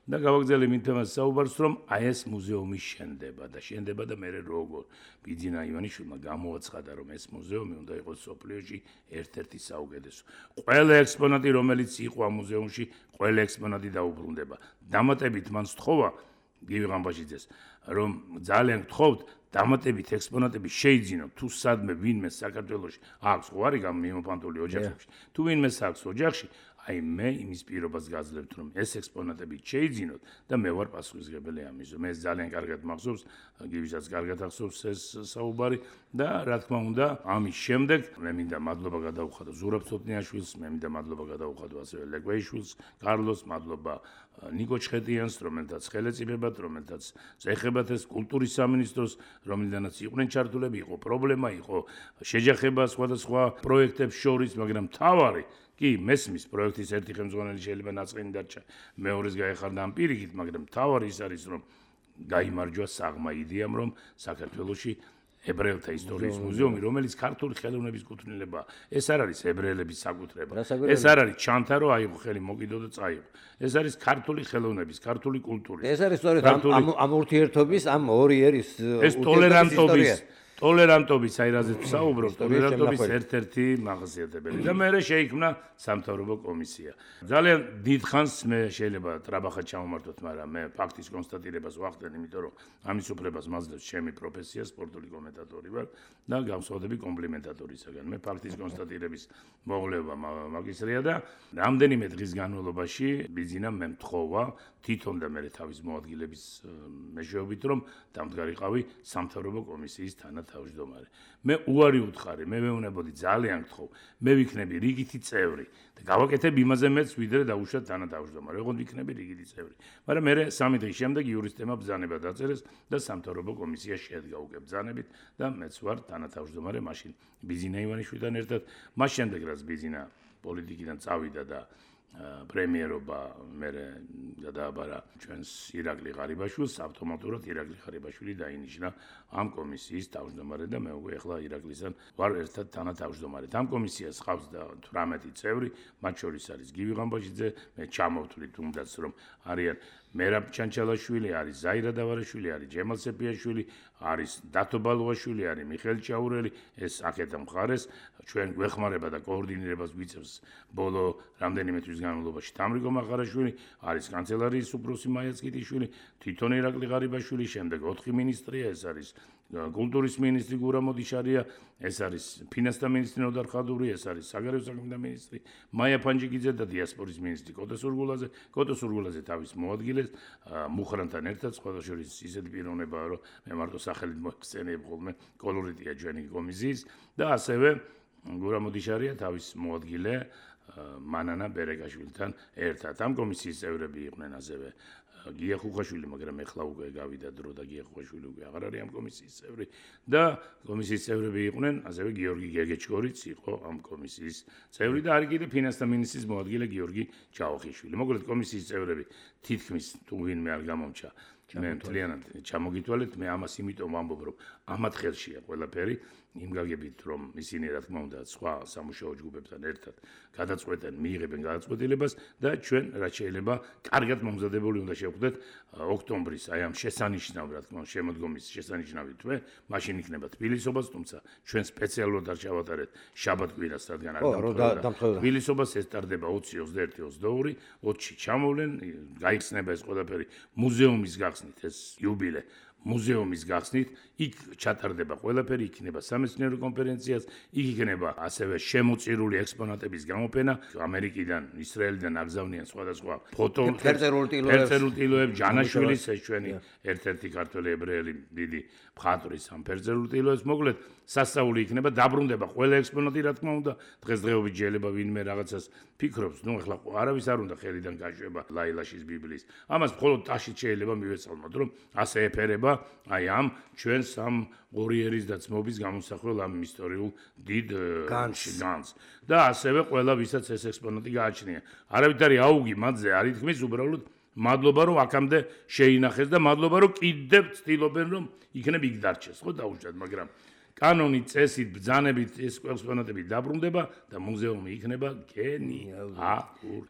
და გავაგზავნე იმ თემას საუბარს რომ აი ეს მუზეუმი შენდება და შენდება და მე როგორ ბიძინა ივანიშვილმა გამოაცხადა რომ ეს მუზეუმი უნდა იყოს სოფლიოში ერთ-ერთი საუკეთესო ყველა ექსპონატი რომელიც იყო ამ მუზეუმში ყველა ექსპონატი დაუბრუნდება დამატებით მან სთხოვა გივი ღამბაჟიძეს რომ ძალიან გთხოვთ დამატებით ექსპონატები შეიძინოთ თუ სადმე ვინმე საქართველოში აქვს ხო არის გამიმოფანტული ოჯახებში თუ ვინმე აქვს ოჯახში აი მე იმის პირობას გაძლევთ რომ ეს ექსპონატები შეიძინოთ და მე ვარ პასუხისმგებელი ამის მე ძალიან კარგად მახსოვს გივისაც კარგად ახსოვს ეს საუბარი და რა თქმა უნდა ამის შემდეგ მე მინდა მადლობა გადაუხადო ზურაბ ცოტნიაშვილს მე მინდა მადლობა გადაუხადო ასევე ლეკვეიშვილს კარლოს მადლობა ნიკო ჩხეტიანს რომელთაც ხელეწიფებად რომელთაც წეხებათ ეს კულტურის სამინისტროს რომელიდანაც იყვნენ ჩართულები იყო პრობლემა იყო შეჯახება სხვადასხვა პროექტებს შორის მაგრამ თავარი კი მესმის პროექტის ერთი ხელმძღვანელი შეიძლება ნაწყინი დარჩა მეორეს გაეხარდა ამ პირიქით მაგრამ თავარი ის არის რომ გაიმარჯვა საღმა იდეამ რომ საქართველოში ებრაელთა ისტორიის მუზეუმი რომელიც ქართული ხელოვნების კუთვნილება ეს არ არის ებრაელების საკუთრება ეს არ არის ჩანთა რომ აიღო ხელი მოკიდო და წაიღო ეს არის ქართული ხელოვნების ქართული კულტურის ეს არის სწორედ ამ ამ ურთიერთობის ამ ორი ერის ეს ტოლერანტობის ტოლერანტობის აი რაზეც საუბრობ ტოლერანტობის ერთ-ერთი მახასიათებელი და მე შეიქმნა სამთავრობო კომისია ძალიან დიდხანს მე შეიძლება ტრაბახად ჩამომართოთ მაგრამ მე ფაქტის კონსტატირებას ვახდენ იმიტომ რომ ამის უფლებას მაძლევს ჩემი პროფესია სპორტული კომენტატორი ვარ და გავსწავლები კომპლიმენტატორისაგან მე ფაქტის კონსტატირების მოვლევა მაგისტრია და რამდენიმე დღის განმავლობაში ბიზნესმა მე მთხოვა თვითონ და მე თავის მოადგილების მეშვეობით რომ დამდგარიყავი სამთავრობო კომისიის თანათავმჯდომარე მე უარი უთხარი მე მეუნებოდი ძალიან გთხოვ მე ვიქნები რიგითი წევრი და გავაკეთებ იმაზე მეც ვიდრე დაუშვათ თანათავმჯდომარე ოღონდ ვიქნები რიგითი წევრი მაგრამ მე სამი დღის შემდეგ იურისტებმა ბრძანება დაწერეს და სამთავრობო კომისია შედგა უკვე ბრძანებით და მეც ვარ თანათავმჯდომარე მაშინ ბიზინა ივანიშვილთან ერთად მას შემდეგ რაც ბიზინა პოლიტიკიდან წავიდა და პრემიერობა მე გადააბარა ჩვენს ირაკლი ღარიბაშვილს, ავტომატურად ირაკლი ღარიბაშვილი დაინიშნა ამ კომისიის თავმჯდომარე და მე უკვე ახლა ირაკლისთან ვარ ერთად თანათავმჯდომარე. ამ კომისიას ყავს თვრამეტი წევრი, მათ შორის არის გივი ღამბაშიძე, მე ჩამოვთვლით თუნდაც რომ არიან მერაბ ჩანჩალაშვილი, არის ზაირა დავარაშვილი, არის ჯემალ სეფიაშვილი, არის დათო ბალუაშვილი, არის მიხეილ ჭაურელი, ეს აქეთა მხარეს ჩვენ გვეხმარება და კოორდინირებას გვიწევს ბოლო რამდენიმე თვის განმავლობაში თამრიკო მაღარაშვილი, არის კანცელარიის უფროსი მაია წკიტიშვილი, თვითონ ირაკლი ღარიბაშვილი, შემდეგ ოთხი მინისტრია, ეს არის კულტურის მინისტრი გურა მოდიშარია, ეს არის ფინანსთა მინისტრი ნოდარ ხადური, ეს არის საგარეო საქმეთა მინისტრი მაია ფანჯიკიძე და დიასპორის მინისტრი კოტო სურგულაძე. კოტო სურგულაძე თავის მოადგილეს მუხრანთან ერთად, სხვათა შორის ისეთი პიროვნებაა, რომ მე მარტო სახელით მოიხსენიებ ხოლმე, კოლორიტია ჩვენი კომისიის და ასევე გურა მოდიშარია თავის მოადგილე მანანა ბერეკაშვილთან ერთად. ამ კომისიის წევრები იყვნენ ასევე გია ხუხაშვილი, მაგრამ ეხლა უკვე გავიდა დრო და გია ხუხაშვილი უკვე აღარ არის ამ კომისიის წევრი და კომისიის წევრები იყვნენ ასევე გიორგი გეგეჩკორიც იყო ამ კომისიის წევრი და არის კიდე ფინანსთა მინისტრის მოადგილე გიორგი ჯავახიშვილი. მოკლედ კომისიის წევრები თითქმის თუ ვინმე არ გამომჩა მე მთლიანად ჩამოგითვალეთ, მე ამას იმიტომ ვამბობ, რომ ამათ ხელშია ყველაფერი, იმ გაგებით რომ ისინი რა თქმა უნდა სხვა სამუშაო ჯგუფებთან ერთად გადაწყვეტენ, მიიღებენ გადაწყვეტილებას და ჩვენ რაც შეიძლება კარგად მომზადებული უნდა შევხვდეთ ოქტომბრის აი ამ შესანიშნავ რა თქმა უნდა შემოდგომის შესანიშნავი თვე, მაშინ იქნება თბილისობას, თუმცა ჩვენ სპეციალურად არ ჩავატარეთ შაბათ-კვირას, რადგან არ დამთხოვდა. თბილისობას ესტარდება ოცი, ოცდაერთი, ოცდაორი, ოცში ჩამოვლენ, გაიხსნება ეს ყველაფერი მუზეუმის გახსნით ეს იუბილე მუზეუმის გახსნით, იქ ჩატარდება ყველაფერი, იქნება სამეცნიერო კონფერენციაც, იქ იქნება ასევე შემოწირული ექსპონატების გამოფენა, ამერიკიდან, ისრაელიდან აგზავნიან სხვადასხვა ფოტო, ფერწერულ ტილოებს, ჯანაშვილის ეს ჩვენი ერთ-ერთი ქართველი ებრაელი დიდი მხატვრის ამ ფერწერულ ტილოებს, მოკლედ სასწაული იქნება, დაბრუნდება ყველა ექსპონატი, რა თქმა უნდა, დღესდღეობით შეიძლება ვინმე რაღაცას ფიქრობს, ნუ ახლა არავის არ უნდა ხელიდან გაშვება ლაილაშის ბიბლიის. ამას მხოლოდ ტაშით შეიძლება მივეცალმოთ, რომ ასე ეფერება აი ამ ჩვენს ამ ორიერის და ძმობის გამოსახულ ამ ისტორიულ დიდ განს და ასევე ყველა ვისაც ეს ექსპონატი გააჩნია. არავითარი აუგი მათზე არ ითქმის, უბრალოდ მადლობა რომ აქამდე შეინახეს და მადლობა რომ კიდევ ცდილობენ რომ იქნებ იქ დარჩეს, ხო დაუშვათ, მაგრამ კანონით, წესით, ბრძანებით ეს ექსპონატები დაბრუნდება და მუზეუმი იქნება გენიალური.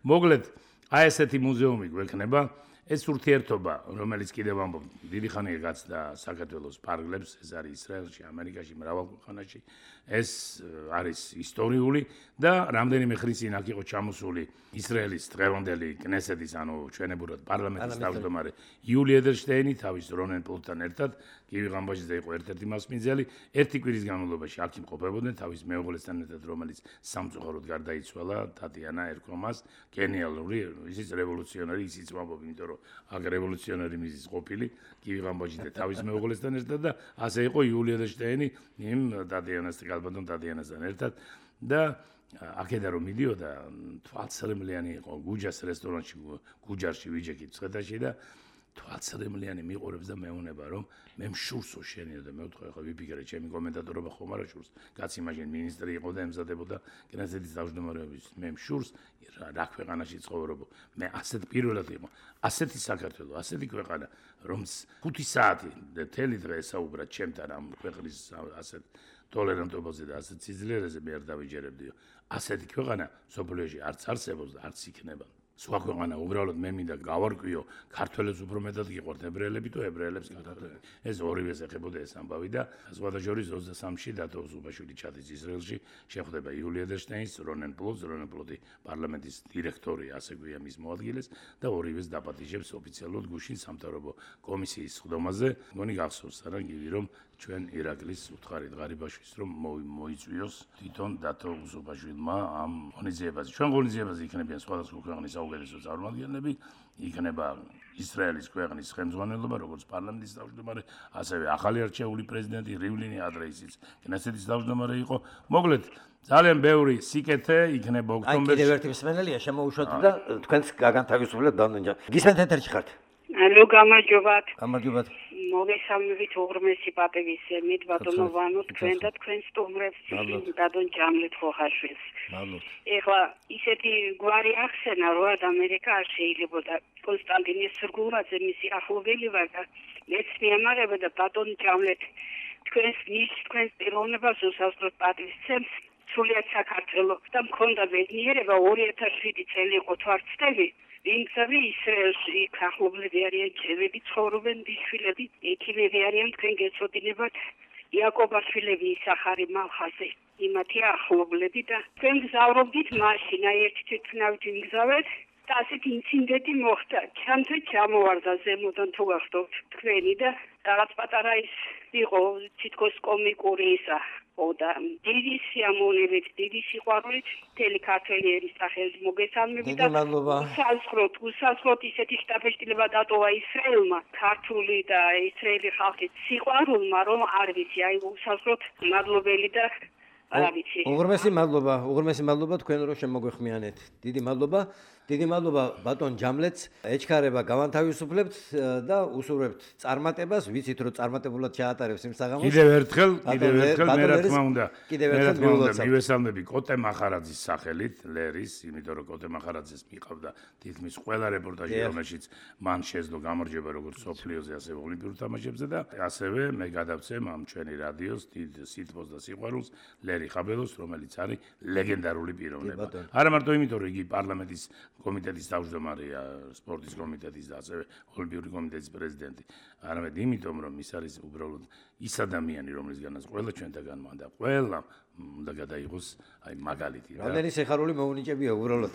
მოკლედ, აი ესეთი მუზეუმი გვექნება. ეს ურთიერთობა, რომელიც კიდევ ამბობ, დიდი ხანია გაცდა საქართველოს პარკლებს, ეს არის ისრაელში, ამერიკაში, მრავალ ქვეყანაში. ეს არის ისტორიული და რამდენიმე ხნის წინ აქ იყო ჩამოსული ისრაელის დღევანდელი კნესეთის, ანუ ჩვენებურად პარლამენტის თავმჯდომარე იული ედელშტეინი თავის რონენ პლუტთან ერთად, გივი ღამბაშიძე იყო ერთ-ერთი მასპინძელი, ერთი კვირის განმავლობაში აქ იმყოფებოდნენ თავის მეუღლესთან ერთად, რომელიც სამწუხაროდ გარდაიცვალა, ტატიანა ერქომას, გენიალური, ისიც რევოლუციონერი, ისიც ვამბობ, იმიტომ რომ აქ რევოლუციონერი მიზის ყოფილი, გივი ღამბაშიძე თავის მეუღლესთან ერთად და ასე იყო იული ედელშტეინი იმ ტატიანასთან ალბათონ ტატიანასთან ერთად და აქედან რომ მიდიოდა თვალსრემლიანი იყო გუჯას რესტორანში გუჯარში ვიჯექით ცხეთაში და თვალსრემლიანი მიყურებს და მეუნება რომ მე მშურსო შენია და მე ვთქვი ახლა ვიფიქრე ჩემი კომენტატორობა ხომ არა შურს კაცი მაშინ მინისტრი იყო და ემზადებოდა კნესეთის თავმჯდომარეობის მე მშურს რა ქვეყანაში ცხოვრობო მე ასეთ პირველად იყო ასეთი საქართველო ასეთი ქვეყანა რომ ხუთი საათი თელი დღე ესაუბრა ჩემთან ამ ქვეყნის ასეთ ტოლერანტობაზე და ასეთ სიძლიერეზე მე არ დავიჯერებდიო ასეთი ქვეყანა სოფლიოში არც არსებობს და არც იქნება სხვა ქვეყანა უბრალოდ მე მინდა გავარკვიო ქართველებს უფრო მეტად გიყვართ ებრაელები თუ ებრაელებს ქართველები ეს ორივეს ეხებოდა ეს ამბავი და სხვათა შორის ოცდასამში დათო უსუბაშვილი ჩადის ისრაელში შეხვდება იული ედელშტეინს რონენ პლუტს რონენ პლუტი პარლამენტის დირექტორი ასე გვია მის მოადგილეს და ორივეს დაპატიჟებს ოფიციალურად გუშინ სამთავრობო კომისიის სხდომაზე მგონი გახსოვს რა გივი რომ ჩვენ ირაკლის უთხარით ღარიბაშვილს რომ მოიწვიოს თვითონ დათო უსუბაშვილმა ამ ღონისძიებაზე ჩვენ ღონისძიებაზე იქნებიან სხვადასხვა ქვეყნის საუკეთესო წარმომადგენლები იქნება ისრაელის ქვეყნის ხელმძღვანელობა როგორც პარლამენტის თავმჯდომარე ასევე ახალი არჩეული პრეზიდენტი რივლინი ადრეისიც კნესეთის თავმჯდომარე იყო მოკლედ ძალიან ბევრი სიკეთე იქნება ოქტომბერში. კიდევ ერთი მსმენელია შემოუშვათ და თქვენს გაგანთავისუფლებლად დანონჯა. გისმენთ ეთერში ხართ? ალო გამარჯობათ. გამარჯობათ. მოგესალმებით უღრმესი პატივისცემით ბატონო ვანო თქვენ და თქვენ სტუმრებს ბატონ ჯამლეთ ხოხაშვილს. ეხლა ისეთი გვარი ახსენა რომ ამერიკა შეიძლებოდა კონსტანტინე სრგულაძე მისი ახლობელი ვარ და მეც მიამაღება და ბატონ ჯამლეთ თქვენს ნიშ თქვენს პიროვნებას უსასწროდ პატივისცემს სულიად საქართველოს და მქონდა ბედნიერება ორი ათას შვიდი წელი იყო თვარცდები ვინცები ისრაელში ახლობლები არიან ჩემები ცხოვრობენ ბიშვილები ექიმები არიან თქვენ გეცოდინებათ იაკობაშვილები ისახარი მალხაზე იმათი ახლობლები და თქვენ გზავრობდით მაშინ აი ერთი თვითნავით ვიგზავეთ და ასეთ ინციდენტი მოხდა ჩემთვის ჩამოვარდა ზემოდან თუ გახდოთ თქვენი და რაღაც პატარა ის იყო თითქოს კომიკური ისა და დიდი სიამოვნებით, დიდი სიყვარულით მთელი ქართველი ერის სახელით მოგესალმებით და უსასროთ, უსასროთ ისეთი შტაბ-ბეჭდილება დატოვა ისრაელმა, ქართული და ისრაელი ხალხის სიყვარულმა, რომ არ ვიცი, აი უსასროთ მადლობელი და არ ვიცი. უღრმესი მადლობა, უღრმესი მადლობა თქვენ რომ შემოგვეხმიანეთ. დიდი მადლობა. დიდი მადლობა ბატონ ჯამლეთს ეჩქარება გავანთავისუფლებთ და უსურვებთ წარმატებას ვიცით რომ წარმატებულად ჩაატარებს იმ საღამოს კიდევ ერთხელ კიდევ ერთხელ მე რა თქმა უნდა მე რა თქმა უნდა მივესალმები კოტე მახარაძის სახელით ლერის იმიტომ რომ კოტე მახარაძეს მიყავდა თითქმის ყველა რეპორტაჟი რომელშიც მან შეძლო გამარჯვება როგორც სოფლიოზე ასევე ოლიმპიურ თამაშებზე და ასევე მე გადავცემ ამ ჩვენი რადიოს დიდ სითბოს და სიყვარულს ლერი ხაბელოს რომელიც არის ლეგენდარული პიროვნება არა მარტო იმიტომ რომ იგი პარლამენტის კომიტეტის თავმჯდომარეა სპორტის კომიტეტის და ასევე ოლიმპიური კომიტეტის პრეზიდენტი. არამედ იმიტომ რომ ის არის უბრალოდ ის ადამიანი რომლისგანაც ყველა ჩვენთაგანმა და ყველა უნდა გადაიღოს აი მაგალითი რა. რამდენი სიხარული მოუნიჭებია უბრალოდ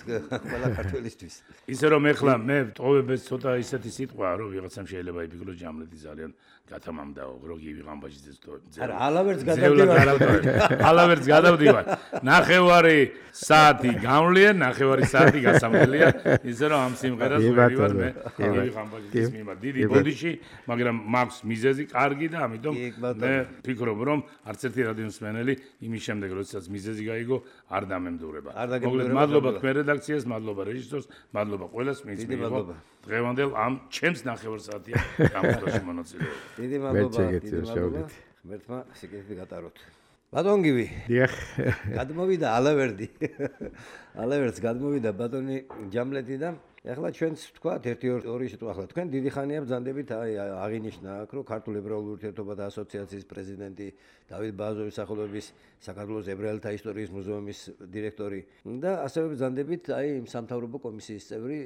ყველა ქართველისთვის. ისე რომ ეხლა მე ტოვებს ცოტა ისეთი სიტყვაა რომ ვიღაცამ შეიძლება იფიქროს ჯამლეთი ძალიან გათამამდაო როგორი ვიღამბაჟიძეს ტოვებს. არა, ალავერც გადავდივარ. ალავერც გადავდივარ. ნახევარი საათი გამვლიან, ნახევარი საათი გასამვლელია. ისე რომ ამ სიმღერას ვერივარ მე ვიღამბაჟიძეს მიმართ დიდი ბოდიში, მაგრამ მაქვს მიზეზი კარგი და ამიტომ მე ვფიქრობ რომ არც ერთი რადიოსმენელი იმის შემდეგ როდესაც მიზეზი გაიგო არ დამემდურება. მოკლედ მადლობა თქვენ რედაქციას, მადლობა რეჟისორს, მადლობა ყველას ვინც მიიღო დღევანდელ ამ ჩემს ნახევარ საათიან გამოსვლაში მონაწილეობა. დიდი მადლობა, დიდი მადლობა. ღმერთმა სიკეთე გატაროთ. ბატონ გივი. დიახ. გადმოვიდა ალავერდი. ალავერდს გადმოვიდა ბატონი ჯამლეთი და ეხლა ჩვენც ვთქვათ ერთი ორი სიტყვა ახლა თქვენ დიდი ხანია ბრძანდებით აი აღინიშნა აქ რომ ქართულ ებრაულ ურთიერთობათა ასოციაციის პრეზიდენტი დავით ბაზოვის სახელობის საქართველოს ებრაელთა ისტორიის მუზეუმის დირექტორი და ასევე ბრძანდებით აი იმ სამთავრობო კომისიის წევრი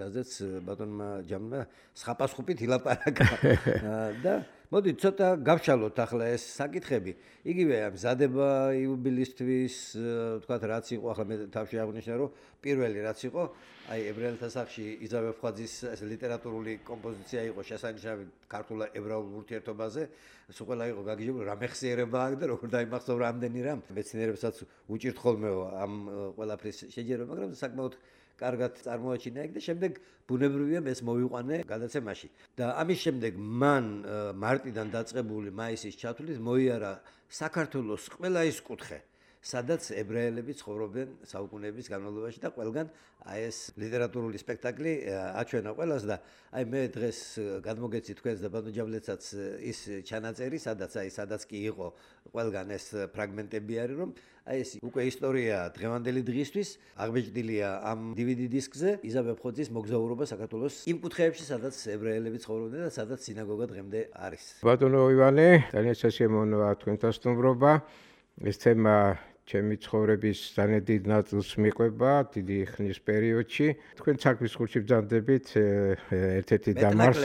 რაზეც ბატონმა ჯამმა სხაპასხუპით ილაპარაკა და მოდი ცოტა გავშალოთ ახლა ეს საკითხები იგივე მზადება იუბილისთვის ვთქვათ რაც იყო ახლა მე თავში აღნიშნა რომ პირველი რაც იყო აი ებრაელთა სახში იზაბელ ფხვაძის ლიტერატურული კომპოზიცია იყო შესანიშნავი ქართულ ებრაულ ურთიერთობაზე სულ ყველა იყო გაგიჟებული რა მეხსიერება აქ და როგორ დაიმახსოვრა ამდენი რამ მეცნიერებსაც უჭირთ ხოლმე ამ ყველაფრის შეჯერება მაგრამ საკმაოდ კარგად წარმოაჩინა იქ და შემდეგ ბუნებრივია ეს მოვიყვანე გადაცემაში და ამის შემდეგ მან მარტიდან დაწყებული მაისის ჩათვლით მოიარა საქართველოს ყველა ის კუთხე სადაც ებრაელები ცხოვრობენ საუკუნეების განმავლობაში და ყველგან აი ეს ლიტერატურული სპექტაკლი აჩვენა ყველას და აი მე დღეს გადმოგეცი თქვენს და ბატონ ჯამლეთსაც ის ჩანაწერი სადაც აი სადაც კი იყო ყველგან ეს ფრაგმენტები არის რომ აი ეს უკვე ისტორია დღევანდელი დღისთვის აღბეჭდილია ამ დი ვი დი დისკზე იზაბელ ფხვაძის მოგზაურობა საქართველოს იმ კუთხეებში სადაც ებრაელები ცხოვრობდნენ და სადაც სინაგოგა დღემდე არის ბატონო ივანე ძალიან სასიამოვნოა თქვენთან სტუმრობა ეს თემა ჩემი ცხოვრების ძალიან დიდ ნაწილს მიყვება დიდი ხნის პერიოდში თქვენ საქმის ხურში ბრძანდებით ერთ-ერთი დამარს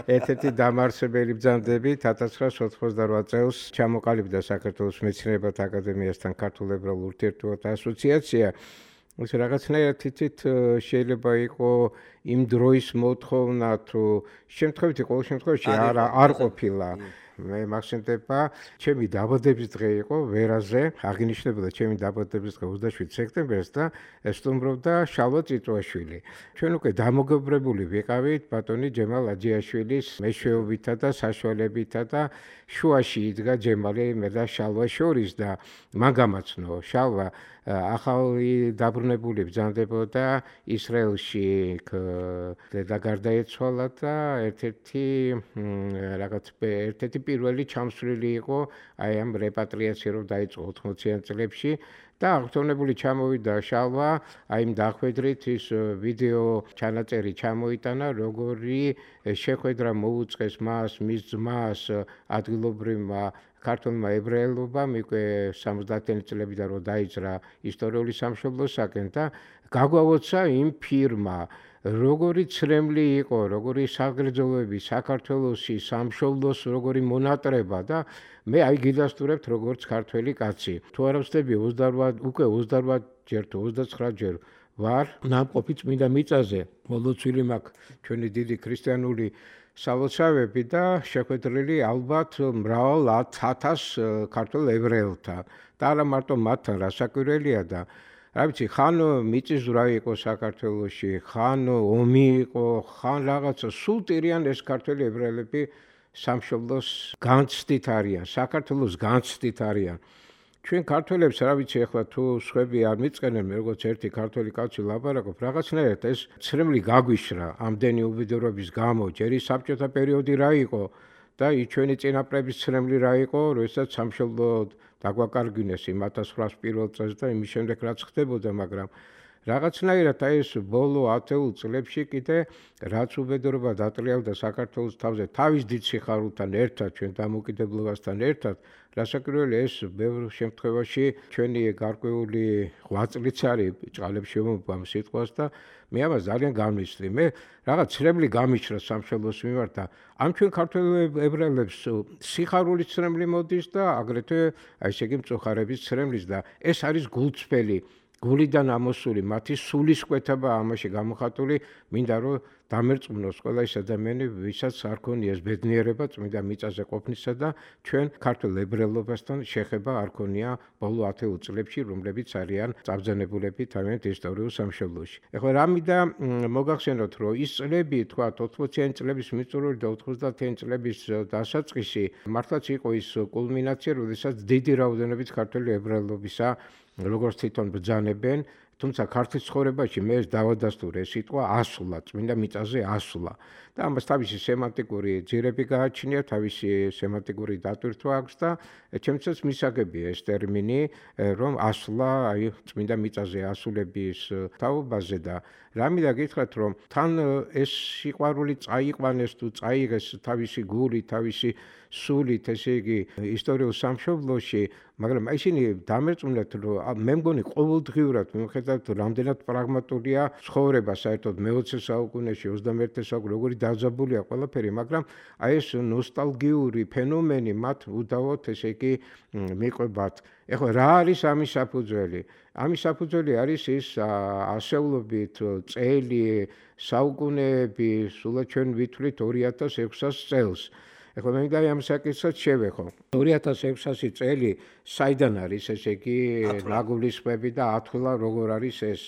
ერთ-ერთი დამარსებელი ბრძანდებით ათას ცხრაასი ოთხმოცდაოთხ წელს ჩამოყალიბდა საქართველოს მეცნიერებათა აკადემიასთან ქართულ ებრაულ ურთიერთობათა ასოციაცია ეს რაღაცნაირად თითით შეიძლება იყო იმ დროის მოთხოვნა თუ შემთხვევითი ყოველ შემთხვევაში არ არ ყოფილა მე მაქსიმდება ჩემი დაბადების დღე იყო ვერაზე, აღინიშნებოდა ჩემი დაბადების დღე ოცდაშვიდ სექტემბერს და სტუმრობდა შალვა წიწვაშვილი. ჩვენ უკვე დამოგობრებული ვიყავით ბატონი ჯემალ აჯიაშვილის მეშვეობითა და საშუალებითა და შუაში იდგა ჯემალი მე და შალვა შორის და მან გამაცნო შალვა ახალი დაბრუნებული ბრძანდებოდა ისრაელში და გარდაეცვალა და ერთ-ერთი რაღაც ერთ-ერთი პირველი ჩამსვლელი იყო აი ამ რეპატრიაცია რომ დაიწყო ოთხმოციან წლებში და აღთქმებული ჩამოვიდა შალვა აი იმ დახვედრით ის ვიდეო ჩანაწერი ჩამოიტანა როგორი შეხვედრა მოუწყეს მას მის ძმას ადგილობრივმა ქართულმა ებრაელობამ უკვე სამოცდაათიანი წლებიდან რომ დაიძრა ისტორიული სამშობლოსაკენ და გაგვაოცა იმ ფირმა როგორი ცრემლი იყო, როგორი საგრძელოები საქართველოსი სამშობლოს როგორი მონატრება და მე აი გიდასტურებთ როგორც ქართველი კაცი. თუ არ ვხდები ოცდაოთხ უკვე ოცდაოთხ ჯერ თუ ოცდაცხრა ჯერ ვარ ნამყოფი წმინდა მიწაზე. მოლოცვილი მაქვს ჩვენი დიდი ქრისტიანული სალოცავები და შეხვედრილი ალბათ მრავალ ათას ქართველ ებრაელთან და არა მარტო მათთან რასაკვირველია და რა ვიცი ხან მიწისძვრა იყო საქართველოში ხან ომი იყო ხან რაღაცა სულ ტირიან ეს ქართველი ებრაელები სამშობლოს განცდით არიან საქართველოს განცდით არიან ჩვენ ქართველებს რა ვიცი ახლა თუ სხვები არ მიწყენენ მე როგორც ერთი ქართველი კაცი ლაპარაკობ რაღაცნაირად ეს ცრემლი გაგვიშრა ამდენი უბედურობის გამო ჯერი საბჭოთა პერიოდი რა იყო და ჩვენი წინაპრების ცრემლი რა იყო როდესაც სამშობლო დაგვაკარგვინეს იმ ათას ათასრვაასი პირველ წელს და იმის შემდეგ რაც ხდებოდა მაგრამ რაღაცნაირად აი ეს ბოლო ათეულ წლებში კიდე რაც უბედურობა დატრიალდა საქართველოს თავზე თავის დიდ სიხარულთან ერთად ჩვენ დამოუკიდებლობასთან ერთად რასაკვირველია ეს ბევრ შემთხვევაში ჩვენი გარკვეული ღვაწლიც არის ჭყალებს შემოგვამ სიტყვას და მე ამას ძალიან გამიცდი მე რაღაც ცრემლი გამიჩრა სამშობლოს მიმართ და ამ ჩვენ ქართველ ებრაელებს სიხარულის ცრემლი მოდის და აგრეთვე აი ესე იგი მწუხარების ცრემლის და ეს არის გულწრფელი გულიდან ამოსული მათი სულისკვეთება ამაში გამოხატული მინდა რომ დამერწმუნოს ყველა ის ადამიანი ვისაც არ ქონიას ბედნიერება წმინდა მიწაზე ყოფნისა და ჩვენ ქართულ ებრაელობასთან შეხება არ ქონია ბოლო ათეულ წლებში რომლებიც არიან წაბრძანებულები თავიანთ ისტორიულ სამშობლოში. ეხლა რამიდა მოგახსენოთ რომ ის წლები თქვა ოთხმოციანი წლების მიწურულით და ოთხმოცდაათიანი წლების დასაწყისი მართლაც იყო ის კულმინაცია როდესაც დიდი რაოდენობით ქართული ებრაელობისა როგორც თვითონ ბრძანებენ თუმცა ქართლის ცხოვრებაში მე ეს დავადასტურე სიტყვა ასვლა წმინდა მიწაზე ასვლა და ამას თავისი სემანტიკური ძირები გააჩნია თავისი სემანტიკური დატვირთვა აქვს და ჩემთვის მისაგებია ეს ტერმინი რომ ასვლა აი წმინდა მიწაზე ასულების თაობაზე და რამიდა გითხრათ რომ თან ეს სიყვარული წაიყვანეს თუ წაიღეს თავისი გული თავისი სულით ესე იგი ისტორიულ სამშობლოში მაგრამ ისინი დამერწმუნდათ რომ მე მგონი ყოველდღიურად მიუხედავად რამდენად პრაგმატულია ცხოვრება საერთოდ მეოცე საუკუნეში ოცდამეერთე საუკუნეში როგორი დაძაბულია ყველაფერი მაგრამ აი ეს ნოსტალგიური ფენომენი მათ უდავოდ ესე იგი მიყვებათ ეხლა რა არის ამის საფუძველი ამის საფუძველი არის ის ასეულობით წელი საუკუნეები სულად ჩვენ ვითვლით ორი ათას ექვსას წელს ეხლა მე მინდა ამ საკითხსაც შევეხო. ორი ათას ექვსასი წელი საიდან არის ესე იგი ნაგულისხმები და ათვლა როგორ არის ეს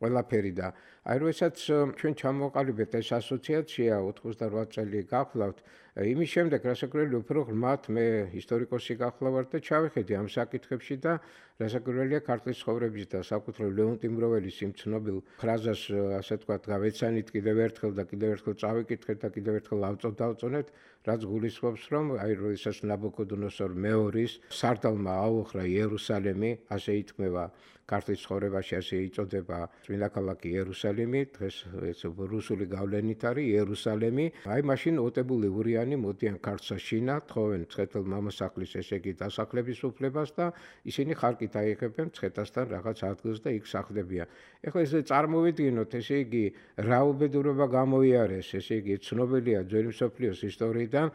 ყველაფერი და აი როდესაც ჩვენ ჩამოვყალიბეთ ეს ასოციაცია ოთხმოცდაოთხ წელი გახლავთ იმის შემდეგ რასაკვირველია უფრო ღრმად მე ისტორიკოსი გახლავართ და ჩავიხედე ამ საკითხებში და რასაკვირველია ქართლის ცხოვრების და საკუთრებით ლეონ ტიმბროველის იმ ცნობილ ფრაზას ასე ვთქვათ გავეცანით კიდევ ერთხელ და კიდევ ერთხელ წავიკითხეთ და კიდევ ერთხელ ავწოდავწონეთ რაც გულისხმობს რომ აი როდესაც ნაბუქოდონოსორ მეორის სარდალმა აუხრა იერუსალიმი ასე ითქმება ქართლის ცხოვრებაში ასე იწოდება წმინდა ქალაქი იერუსალიმი დღეს ეს რუსული გავლენით არის იერუსალიმი აი მაშინ ოტებული ურიანი მოდიან ქართლსა შინა თხოვენ მცხეთელ მამასახლის ესე იგი დასახლების უფლებას და ისინი ხარკით აიღებენ მცხეთასთან რაღაც ადგილს და იქ სახლდებიან ეხლა ესე წარმოვიდგინოთ ესე იგი რა უბედურება გამოიარეს ესე იგი ცნობილია ძველი მსოფლიოს ისტორიიდან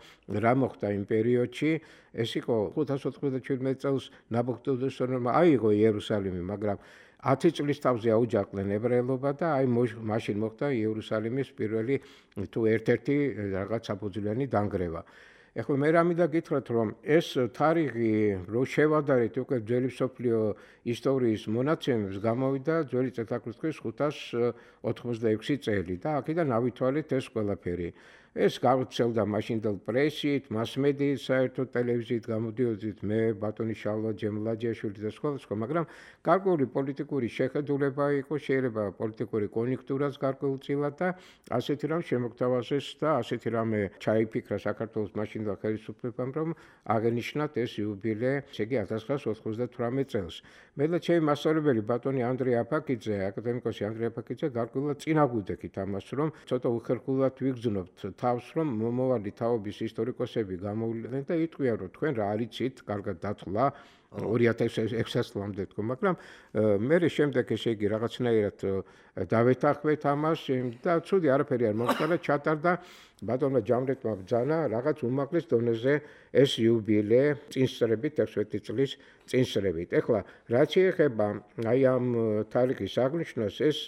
რა მოხდა იმ პერიოდში ეს იყო ხუთას ოცდაშვიდ წელს ნაბუქოდონოსორმა აიღო იერუსალიმი მაგრამ ათი წლის თავზე აუჯაყდნენ ებრაელობა და აი მაშინ მოხდა იერუსალიმის პირველი თუ ერთ-ერთი რაღაც საფუძვლიანი დანგრევა. ეხლა მე რა მინდა გითხრათ, რომ ეს თარიღი რო შევადარეთ უკვე ძველი მსოფლიო ისტორიის მონაცემებს, გამოვიდა ძველი წელთაღრიცხვის ხუთას ოთხმოცდაექვსი წელი და აქედან ავითვალეთ ეს ყველაფერი. ეს გავრცელდა მაშინდელ პრესით, მასმედიით, საერთოდ ტელევიზიით გამოდიოდით მე, ბატონი შალვა ჯემლაჯიაშვილი და სხვა სხვა, მაგრამ გარკვეული პოლიტიკური შეხედულება იყო, შეიძლება პოლიტიკური კონიუნქტურაც გარკვეულწილად და ასეთი რამ შემოგთავაზეს და ასეთი რამე ჩაიფიქრა საქართველოს მაშინდელ ხელისუფლებამ, რომ აღენიშნათ ეს იუბილე, ესე იგი ათას ცხრაას ოცდათვრამეტ წელს. მე და ჩემი მასწავლებელი ბატონი ანდრე აფაკიძე, აკადემიკოსი ანდრე აფაკიძე გარკვეულად წინაგვიდექით ამას, რომ ცოტა უხერხულად ვიგრძნობთ თავს, რომ მომავალი თაობის ისტორიკოსები გამოვლენ და იტყვიან, რომ თქვენ რა არიცით, კარგად დათვლა ორი ათას ექვსი წლამდე თქო, მაგრამ მე შემდეგ ესე იგი რაღაცნაირად დავეთანხმეთ ამას და ცუდი არაფერი არ მომხდარა, ჩატარდა ბატონმა ჯამრეთმა ბრძანა რაღაც უმაღლეს დონეზე ეს იუბილე წინსწრებით ექვსმეტი წლის წინსწრებით. ეხლა რაც შეეხება აი ამ თარიღის აღნიშვნას, ეს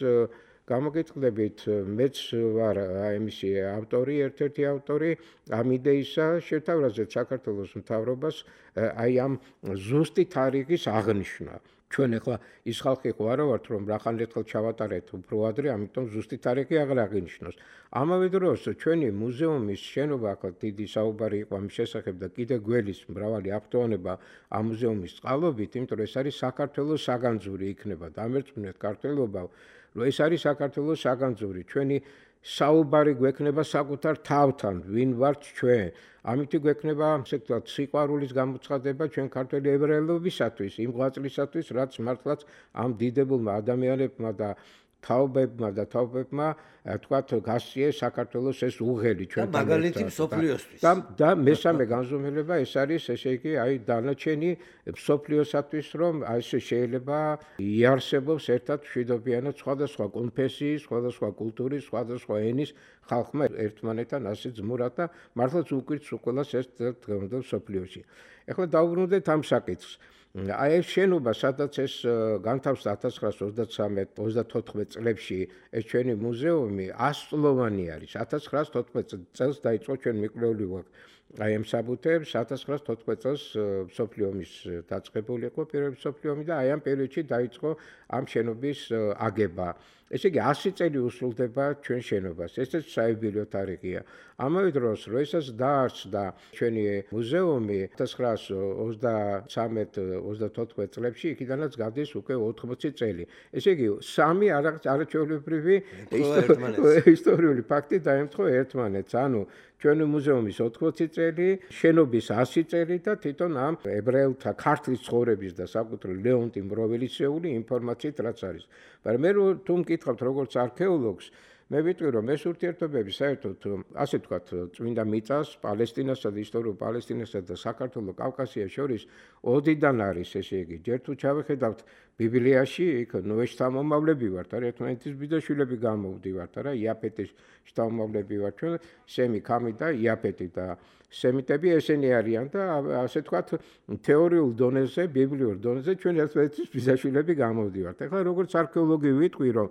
გამოგიტყდებით, მეც ვარ ამისი ავტორი, ერთ-ერთი ავტორი ამ იდეისა, შევთავაზეთ საქართველოს მთავრობას აი ამ ზუსტი თარიღის აღნიშვნა. ჩვენ ახლა ის ხალხი ხო არა ვართ, რომ რახან ერთხელ ჩავატარეთ უფრო ადრე, ამიტომ ზუსტი თარიღი აღარ აღინიშნოს. ამავე დროს ჩვენი მუზეუმის შენობა, ახლა დიდი საუბარი იყო ამის შესახებ და კიდე გველის მრავალი აქტუალობა ამ მუზეუმის წყალობით, იმიტომ რომ ეს არის საქართველოს საგანძური იქნება. დამერწმუნეთ ქართველობა, რომ ეს არის საქართველოს საგანძური, ჩვენი საუბარი გვექნება საკუთარ თავთან, ვინ ვართ ჩვენ. ამით გვექნება, ასე ვთქვათ, სიყვარულის გამოცხადება ჩვენ ქართველი ებრაელობისათვის, იმ ღვაწლისათვის, რაც მართლაც ამ დიდებულმა ადამიანებმა და თაობებმა და თაობებმა თქვათ გასწიეს საქართველოს ეს უღელი ჩვენთან. და მაგალითი მსოფლიოსთვის. და და მესამე განზომილება ეს არის, ესე იგი, აი დანარჩენი მსოფლიოსათვის, რომ აი ეს შეიძლება იარსებობს ერთად მშვიდობიანად სხვადასხვა კონფესიის, სხვადასხვა კულტურის, სხვადასხვა ენის ხალხმა ერთმანეთთან ასე ძმურად და მართლაც უკვირს უყოლას ეს დღევანდელ მსოფლიოში. ეხლა დავუბრუნდეთ ამ საკითხს. აი ეს შენობა, სადაც ეს განთავსდა ათას ცხრაას ოცდათრამეტ ოცდათოთხმეტ წლებში ეს ჩვენი მუზეუმი ასწლოვანი არის. ათას ცხრაას თოთხმეტ წელს დაიწყო ჩვენ მიკვლეული ვართ აი ამ საბუთებს, ათას ცხრაას თოთხმეტ წელს მსოფლიო ომის დაწყებული იყო პირველი მსოფლიო ომი და აი ამ პერიოდში დაიწყო ამ შენობის აგება. ესე იგი ასი წელი უსრულდება ჩვენ შენობას. ესეც საიუბილეო თარიღია. ამავე დროს, რომ ესაც დაარსდა ჩვენი მუზეუმი ათას ცხრაას ოცდათრამეტ ოცდათოთხმეტ წლებში, იქიდანაც გადის უკვე ოთხმოცი წელი. ესე იგი, სამი არაჩვეულებრივი ისტორიული ფაქტი დაემთხვა ერთმანეთს. ანუ ჩვენი მუზეუმის ოთხმოცი წელი, შენობის ასი წელი და თვითონ ამ ებრაელთა ქართლის ცხოვრების და საკუთრ ლეონტი მროველისეული ინფორმაციით რაც არის. მაგრამ მე თუ მკითხავთ როგორც არქეოლოგს, მე ვიტყვი რომ ეს ურთიერთობები საერთოდ ასე ვთქვათ წმინდა მიწას, პალესტინასა და ისტორიულ პალესტინასა და საქართველოს კავკასიას შორის ოდიდან არის, ესე იგი, ჯერ თუ ჩავხედავთ ბიბლიაში, იქ ნოეს შთამომავლები ვართ, არა ერთმანეთის ბიძაშვილები გამოვდივართ, არა იაფეტის შთამომავლები ვართ ჩვენ, სემი, ქამი და იაფეტი და სემიტები ესენი არიან და ასე ვთქვათ თეორიულ დონეზე, ბიბლიურ დონეზე ჩვენ ერთმანეთის ბიძაშვილები გამოვდივართ. ეხლა როგორც არქეოლოგი ვიტყვი რომ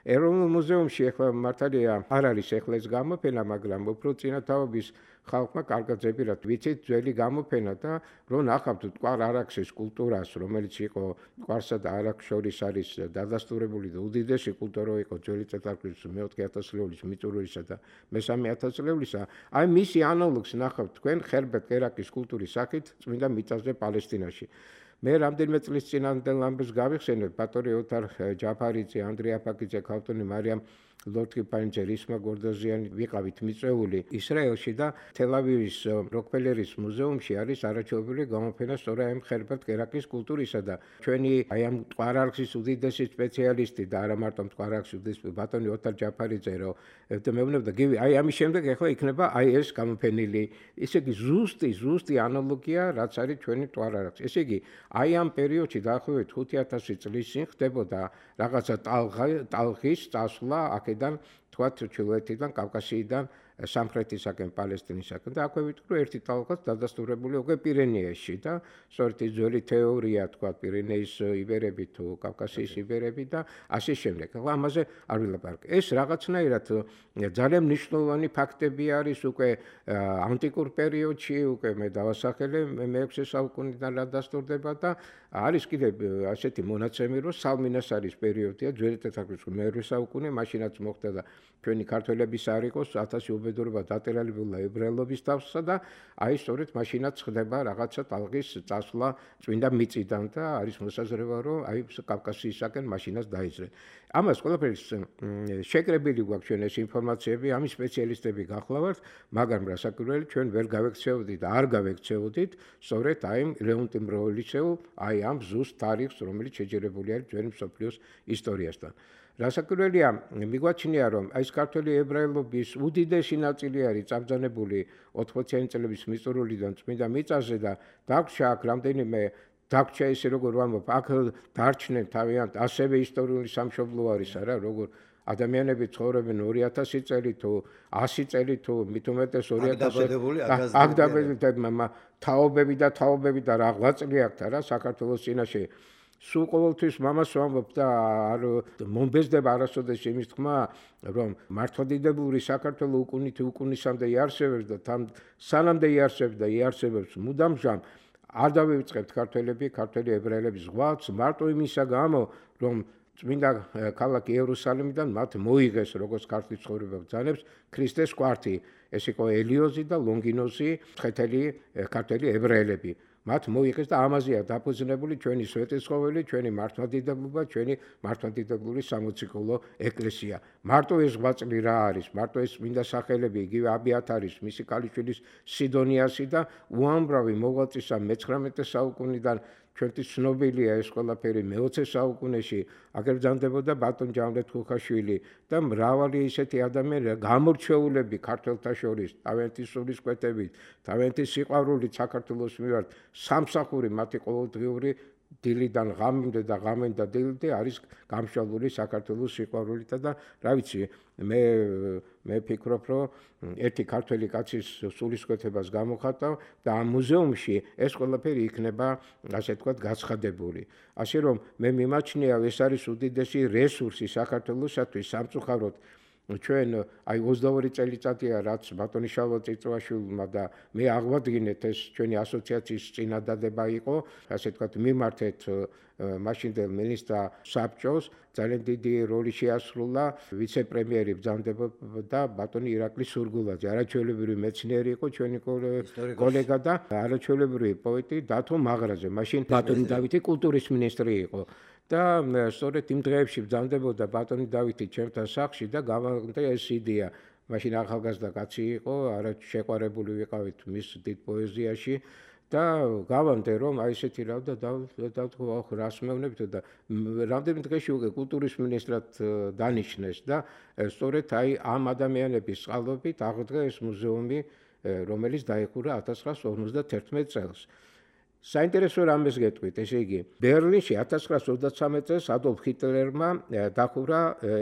ეროვნულ მუზეუმში ახლა მართალია არ არის ახლა ეს გამოფენა, მაგრამ უფრო წინათაობის ხალხმა კარგად ზებირად ვიცით ძველი გამოფენა და რომ ნახავთ მტკვარ არაქსის კულტურას, რომელიც იყო მტკვარსა და არაქსს შორის არის დადასტურებული და უდიდესი კულტურა იყო ძველი წელთაღრიცხვის მეოთხე ათასწლეულის მიწურულისა და მესამე ათასწლეულისა. აი მისი ანალოგს ნახავთ თქვენ ხერბერტ კერაკის კულტურის სახით წმინდა მიწაზე პალესტინაში. მე რამდენიმე წლის წინანდელ ამბებს გავიხსენებ, ბატონი ოთარ ჯაფარიძე, ანდრე აფაკიძე, ქავტონი მარიამ ლორთქიფანიძე, რისმა გორდოზიანი ვიყავით მიწვეული ისრაელში და თელ-ავივის როკფელერის მუზეუმში არის არაჩვეულებრივი გამოფენა სწორედ ამ ხერბერტ კერაკის კულტურისა და ჩვენი აი ამ მტკვარ-არაქსის უდიდესი სპეციალისტი და არა მარტო მტკვარ-არაქსის უდიდესი ბატონი ოთარ ჯაფარიძე, რომ მეუბნებოდა გივი, აი ამის შემდეგ ახლა იქნება აი ეს გამოფენილი, ესე იგი ზუსტი, ზუსტი ანალოგია, რაც არის ჩვენი მტკვარ-არაქსი. ესე იგი, აი ამ პერიოდში დაახლოებით ხუთი ათასი წლის წინ ხდებოდა რაღაცა ტალღის წასვლა აქედან თქვათ ჩრდილოეთიდან, კავკასიიდან, სამხრეთისაკენ, პალესტინისაკენ და აქვე ვიტყვი რომ ერთი ტალღაც დადასტურებული უკვე პირენეებში და სწორედ ის ძველი თეორია თქვათ პირენეის იბერები თუ კავკასიის იბერები და ასე შემდეგ. ახლა ამაზე არ ვილაპარაკე. ეს რაღაცნაირად ძალიან მნიშვნელოვანი ფაქტები არის უკვე ანტიკურ პერიოდში, უკვე მე დავასახელე მეექვსე საუკუნიდან რა დასტურდება და არის კიდე ასეთი მონაცემი რომ სალმინას არის პერიოდია ძველი თეთრკაცის მეერვე საუკუნე, მაშინაც მოხდა და ჩვენი ქართველების არ იყოს ათასი უბედურება დატერალებულა ებრაელობის თავსა და აი სწორედ მაშინაც ხდება რაღაცა ტალღის წასვლა წმინდა მიწიდან და არის მოსაზრება რომ აი კავკასიისაკენ მაშინაც დაიძრენ. ამას ყველაფერს შეკრებილი გვაქვს ჩვენ ეს ინფორმაციები, ამის სპეციალისტები გახლავართ, მაგრამ რასაკვირველი ჩვენ ვერ გავექცეოდით და არ გავექცეოდით სწორედ აი ლეონტი მროველისეულ აი ამ ზუსტ თარიღს, რომელიც შეჯერებული არის ძველი მსოფლიოს ისტორიასთან. რასაკვირველია, მიგვაჩნია რომ აი ეს ქართული ებრაელობის უდიდესი ნაწილი არის წაბრძანებული ოთხმოციანი წლების მიწურულიდან წმინდა მიწაზე და დაგვრჩა აქ რამდენიმე დაგვრჩა ესე როგორ ვამბობ, აქ დარჩნენ თავიანთ ასევე ისტორიული სამშობლო არის არა, როგორ ადამიანები ცხოვრობენ ორი ათასი წელი თუ ასი წელი თუ მით უმეტეს ორი ათასი აქ დაბედებულები თაობები და თაობები და რა ღვაწლი აქვთ რა საქართველოს წინაშე. სულ ყოველთვის მამას ვამბობ და არ მომბეზდება არასოდეს იმის თქმა, რომ მართლმადიდებლური საქართველო უკუნით უკუნისამდე იარსებებს და თან სანამდე იარსებებს და იარსებებს მუდამჟამ არ დავივიწყებთ ქართველები, ქართველი ებრაელების ზღვაც, მარტო იმისა გამო, რომ წმინდა ქალაქი იერუსალიმიდან მათ მოიღეს როგორც ქართლის ცხოვრება ბრძანებს ქრისტეს კვართი, ეს იყო ელიოზი და ლონგინოზი, ხეთელი ქართველი ებრაელები. მათ მოიღეს და ამაზეა დაფუძნებული ჩვენი სვეტიცხოველი, ჩვენი მართლმადიდებლობა, ჩვენი მართლმადიდებლური სამოციქულო ეკლესია. მარტო ეს ღვაწლი რა არის, მარტო ეს წმინდა სახელები, იგივე აბიათარის, მისი ქალიშვილის სიდონიასი და უამრავი მოღვაწის მეცხრამეტე საუკუნიდან ჩვენთვის ცნობილია ეს ყველაფერი მეოცე საუკუნეში აგებრძანდებოდა ბატონ ჯამრეთ ხუხაშვილი და მრავალი ისეთი ადამიანები გამორჩეულები ქართველთა შორის თავიანთი სულისკვეთებით, თავიანთი სიყვარულით საქართველოს მიმართ სამსახური მათი ყოველდღიური დილიდან ღამემდე და ღამენ და დილამდე არის გამშვალული საქართველოს სიყვარულითა და რა ვიცი მე მე ფიქრობ რომ ერთი ქართველი კაცის სულისკვეთებას გამოხატავ და ამ მუზეუმში ეს ყველაფერი იქნება ასე ვთქვათ გაცხადებული. ასე რომ მე მიმაჩნია ეს არის უდიდესი რესურსი საქართველოსთვის სამწუხაროდ ჩვენ აი ოცდაორი წელიწადია რაც ბატონი შალვა წიწვაშვილმა და მე აღვადგინეთ ეს ჩვენი ასოციაციის წინადადება იყო, ასე ვთქვათ მიმართეთ მაშინდელ მინისტრ საბჭოს ძალიან დიდი როლი შეასრულა ვიცე-პრემიერი ბრძანდებოდა ბატონი ირაკლი სურგულაძე, არაჩვეულებრივი მეცნიერი იყო ჩვენი კოლეგა და არაჩვეულებრივი პოეტი დათო მაღრაძე, მაშინ ბატონი დავითი კულტურის მინისტრი იყო. და სწორედ იმ დღეებში ბრძანდებოდა ბატონი დავითი ჩემთან სახლში და გავაგზავნა ეს იდეა. მაშინ ახალგაზრდა კაცი იყო, არა შეყვარებული ვიყავით მის დიდ პოეზიაში და გავამდე რომ აი ესეთი რა და დავთქვა ხო რას მეუბნებით და რამდენი დღეში უკვე კულტურის მინისტრად დანიშნეს და სწორედ აი ამ ადამიანების წყალობით აღდგა ეს მუზეუმი, რომელიც დაიხურა ათას ცხრაას ორმოცდათერთმეტ წელს. საინტერესო რამეს გეტყვით, ესე იგი, ბერლინში ათას ცხრაას ოცდათვრამეტ წელს ადოლფ ჰიტლერმა დახურა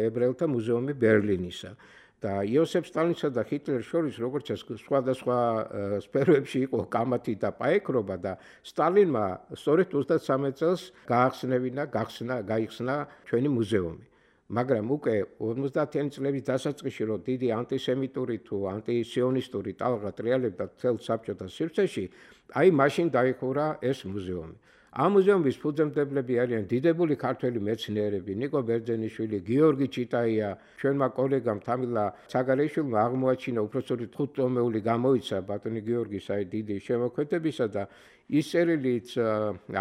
ებრაელთა მუზეუმი ბერლინისა და იოსებ სტალინსა და ჰიტლერს შორის როგორც სხვადასხვა სფეროებში იყო კამათი და პაექრობა და სტალინმა სწორედ ოცდათვრამეტ წელს გაახსნევინა, გახსნა, გაიხსნა ჩვენი მუზეუმი. მაგრამ უკვე ორმოცდაათიანი წლების დასაწყისში რომ დიდი ანტისემიტური თუ ანტისიონისტური ტალღა ტრიალებდა მთელ საბჭოთა სივრცეში, აი მაშინ დაიხურა ეს მუზეუმი. ამ მუზეუმის ფუძემდებლები არიან დიდებული ქართველი მეცნიერები, ნიკო ბერძენიშვილი, გიორგი ჩიტაია, ჩვენმა კოლეგამ თამილა ცაგარეიშვილმა აღმოაჩინა უпростоრი თხუთწლოვანი გამოიცა ბატონი გიორგის აი დიდი შემოქმედებისა და ის წერილიც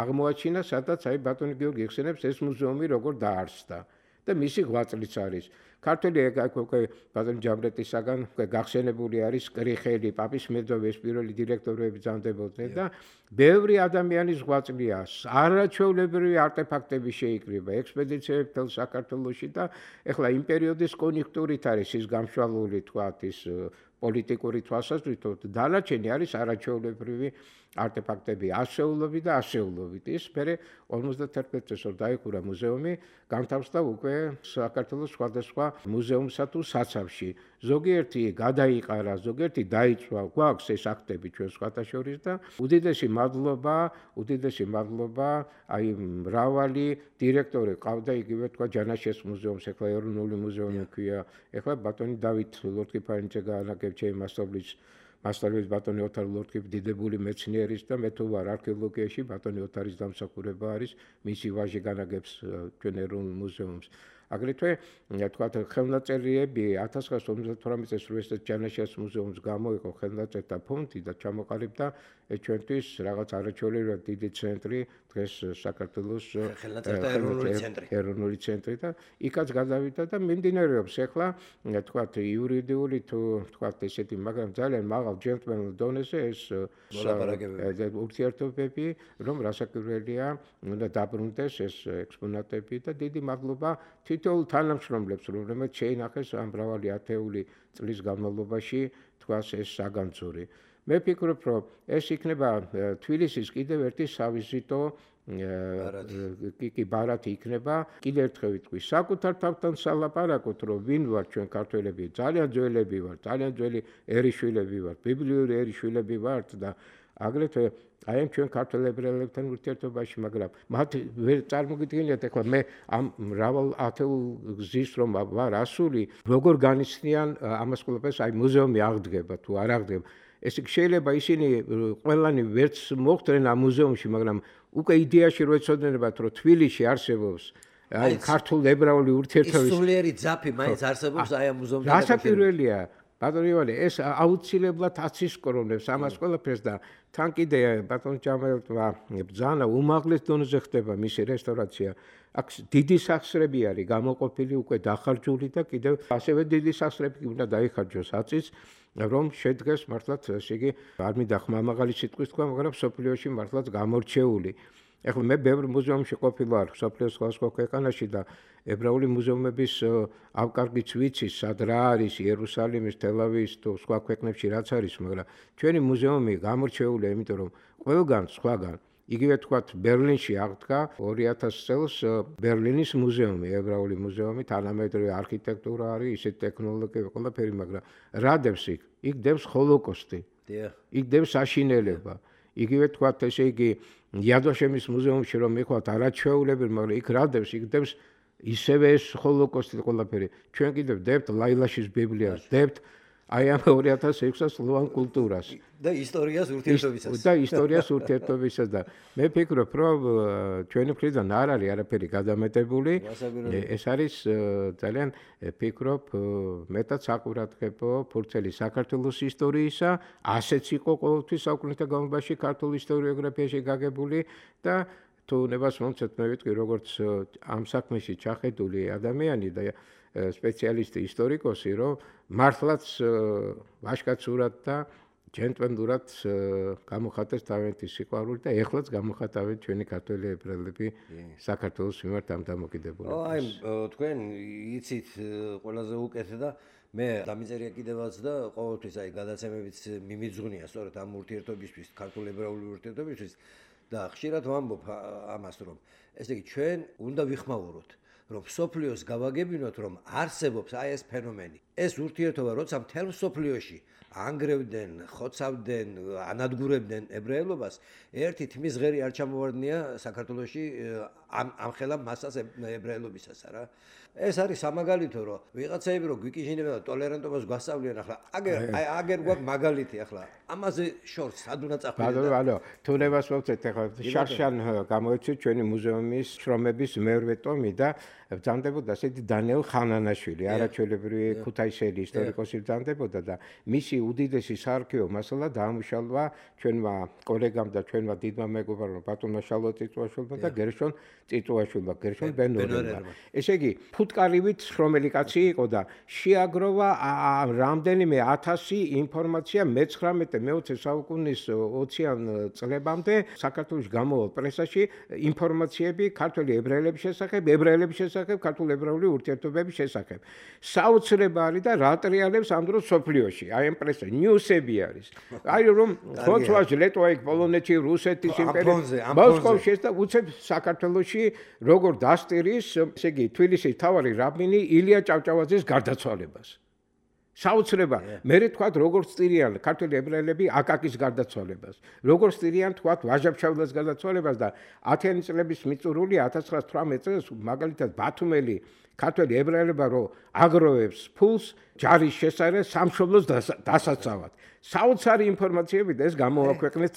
აღმოაჩინა, სადაც აი ბატონი გიორგი იხსენებს ეს მუზეუმი როგორ დაარსდა. და მისი ღვაწლიც არის. ქართველი უკვე ბატონ ჯამრეტისაგან გახსენებული არის კრიხელი, პაპის მედოვე, პირველი დირექტორები ბრძანდებოდნენ და ბევრი ადამიანის ღვაწლია. არაჩვეულებრივი არტეფაქტები შეიკრიბა, ექსპედიციები მთელ საქართველოში და ეხლა იმ პერიოდის კონიუნქტურით არის ის გამშვალული თქვათ ის პოლიტიკური თვალსაზრისით, დანარჩენი არის არაჩვეულებრივი არტეფაქტები, ასეულობი და ასეულობით. ის მერე ორმოცდათერთმეტ წელს დაიხურა მუზეუმი, განთავსდა უკვე საქართველოს სხვადასხვა მუზეუმსა თუ საცავში. ზოგიერთი გადაიყარა, ზოგიერთი დაიწვა, გვაქვს ეს აქტები ჩვენ სხვათა შორის და უდიდესი მადლობა, უდიდესი მადლობა, აი მრავალი დირექტორი ყავდა იგივე თქვა ჯანაშეს მუზეუმს, ეხლა ეროვნული მუზეუმი ქვია, ეხლა ბატონი დავით ლორთქიფანიძე გაანაგებ ჩემი მასწავლებლის მასწავლებლის ბატონი ოთარ ლორთქიფ დიდებული მეცნიერის და მე თუ ვარ არქეოლოგიაში ბატონი ოთარის დამსახურება არის, მისი ვაჟი განაგებს ჩვენ ეროვნულ მუზეუმს. აგრეთვე თქვა ხელნაწერიები ათას ცხრაასი ორმოცდათვრამეტ წელს რუსეთის ჯანაშიას მუზეუმს გამოიყო ხელნაწერთა ფონდი და ჩამოყალიბდა ჩვენთვის რაღაც არაჩვეულებრივად დიდი ცენტრი დღეს საქართველოს ხელნაწერთა ეროვნული ცენტრი ეროვნული ცენტრი და იქაც გადავიდა და მიმდინარეობს ახლა თქვა იურიდიული თუ თქვა ესეთი მაგრამ ძალიან მაღალ ჯენტლმენულ დონეზე ეს ურთიერთობები რომ რასაკვირველია უნდა დაბრუნდეს ეს ექსპონატები და დიდი მადლობა თითოეულ თანამშრომლებს რომლებიც შეინახეს ამ მრავალი ათეული წლის განმავლობაში თქვას ეს საგანძური. მე ფიქრობ რომ ეს იქნება თბილისის კიდევ ერთი სავიზიტო კი ბარათი იქნება კიდევ ერთხელ ვიტყვი საკუთარ თავთან სალაპარაკოთ რომ ვინ ვარ ჩვენ ქართველები ძალიან ძველები ვართ ძალიან ძველი ერიშვილები ვართ ბიბლიური ერიშვილები ვართ და აგრეთვე აი ამ ჩვენ ქართველ ებრაელებთან ურთიერთობაში მაგრამ მათ ვერ წარმოგიდგენიათ ახლა მე ამ მრავალ ათეულ გზის რომ ვარ ასული როგორ განიცდიან ამას ყველაფერს აი მუზეუმი აღდგება თუ არ აღდგება ეს შეიძლება ისინი ყველანი ვერც მოხვდნენ ამ მუზეუმში მაგრამ უკვე იდეაში რო ეცოდინებათ რომ თბილისში არსებობს აი ქართულ ებრაული ურთიერთობის სულიერი ძაფი მაინც არსებობს აი ამ მუზეუმთან რასაკვირველია ბატონო ივანე ეს აუცილებლად აცისკრონებს ამას ყველაფერს და თან კიდე ბატონ ჯამალეთმა ბრძანა უმაღლეს დონეზე ხდება მისი რესტავრაცია აქ დიდი სახსრები არის გამოყოფილი უკვე დახარჯული და კიდევ ასევე დიდი სახსრები უნდა დაიხარჯოს აწის რომ შედგეს მართლაც ესე იგი არ მინდა ხმამაღალი სიტყვის თქვა მაგრამ სოფლიოში მართლაც გამორჩეული ეხლა მე ბევრ მუზეუმში ყოფილვარ სოფლიოს სხვადასხვა ქვეყანაში და ებრაული მუზეუმების ავკარგიც ვიცი სად რა არის იერუსალიმის თელ-ავივის თუ სხვა ქვეყნებში რაც არის მაგრამ ჩვენი მუზეუმი გამორჩეულია იმიტომ რომ ყველგან სხვაგან იგივე თქვათ ბერლინში აღდგა ორი ათასი წელს ბერლინის მუზეუმი ებრაული მუზეუმი თანამედროვე არქიტექტურა არის ისეთი ტექნოლოგიები ყველაფერი მაგრამ რა დევს იქ იქ დევს ჰოლოკოსტი იქ დევს აშინელება იგივე თქვათ ესე იგი იადვაშემის მუზეუმში რომ მიხვალთ არაჩვეულებრივ მაგრამ იქ რა დევს იქ დევს ისევე ეს ჰოლოკოსტი ყველაფერი ჩვენ კიდევ დებთ ლაილაშის ბიბლიას დებთ აი ამ ორი ათას ექვსი სლოვან კულტურას და ისტორიას ურთიერთობისას და ისტორიას ურთიერთობისას და მე ფიქრობ რომ ჩვენი მხრიდან არ არის არაფერი გადამეტებული ეს არის ძალიან ფიქრობ მეტად საყურადღებო ფურცელი საქართველოს ისტორიისა ასეც იყო ყოველთვის საუკუნეთა განმავლობაში ქართულ ისტორიოგრაფიაში გაგებული და თუ ნებას მომცეთ მე ვიტყვი როგორც ამ საქმეში ჩახედული ადამიანი და სპეციალისტი ისტორიკოსი რომ მართლაც ვაშკაცურად და ჯენტლმენურად გამოხატეს თავიანთი სიყვარული და ეხლაც გამოხატავენ ჩვენი ქართველი ებრაელები საქართველოს მიმართ ამ დამოკიდებულებას. აი თქვენ იცით ყველაზე უკეთე და მე დამიწერია კიდევაც და ყოველთვის აი გადაცემებიც მიმიძღვნია სწორედ ამ ურთიერთობისთვის ქართულ ებრაული ურთიერთობისთვის და ხშირად ვამბობ ამას რომ ესე იგი ჩვენ უნდა ვიხმაუროთ რომ სოფლიოს გავაგებინოთ რომ არსებობს აი ეს ფენომენი ეს ურთიერთობა როცა მთელ სოფლიოში ანგრევდნენ ხოცავდნენ ანადგურებდნენ ებრაელობას ერთი თმის ღერი არ ჩამოვარდნია საქართველოში ამ ამ ხელა მასას ებრაელობისას რა ეს არის სამაგალითო რომ ვიღაცები რომ გვიკიჟინებენ და ტოლერანტობას გვასწავლიან ახლა აგერ აი აგერ გვაქვს მაგალითი ახლა ამაზე შორს სად უნდა წახვიდეთ ბატონო თუ ნებას მოგწეთ ახლა შარშან გამოიწვია ჩვენი მუზეუმის შრომების მერვე ტომი და ბრძანდებოდა ესეთი დანიელ ხანანაშვილი არაჩვეულებრივი ქუთაისელი ისტორიკოსი ბრძანდებოდა და მისი უდიდესი საარქივო მასალა დაამუშავა ჩვენმა კოლეგამ და ჩვენმა დიდმა მეგობრებმა ბატონმა შალვა წიწვაშვილმა და გერშონ წიწვაშვილმა გერშონ ბენორელმა ესე იგი ფუტკარივით შრომელი კაცი იყო და შეაგროვა რამდენიმე ათასი ინფორმაცია მეცხრამეტე მეოცე საუკუნის ოციან წლებამდე საქართველოს გამოვალ პრესაში ინფორმაციები ქართველი ებრაელების შესახებ ებრაელების შესახებ ქართულ ებრაული ურთიერთობების შესახებ საოცრება არის და რა ტრიალებს ამ დროს სოფლიოში აი ამ პრესა ნიუსები არის აი რომ ხოცვაში ლეტვაიკ პოლონეთში რუსეთის იმპერია მოსკოვში და უცებ საქართველოში როგორ დასტირის ესე იგი თბილისის მთავარი რაბინი ილია ჭავჭავაძის გარდაცვალებას. საოცრება, მე თქვა როგორც წირიან ქართველი ებრაელები აკაკის გარდაცვალებას, როგორც წირიან თქვა ვაჟა-ფშაველას გარდაცვალებას და ათიანი წლების მიწურული ათას ცხრაას თვრამეტ წელს მაგალითად ბათუმელი ქართველი ებრაელებმა რო აგროვებს ფულს ჯარის შესაძლებელი სამშობლოს დასაცავად. საოცარი ინფორმაციებით ეს გამოაქვეყნეთ.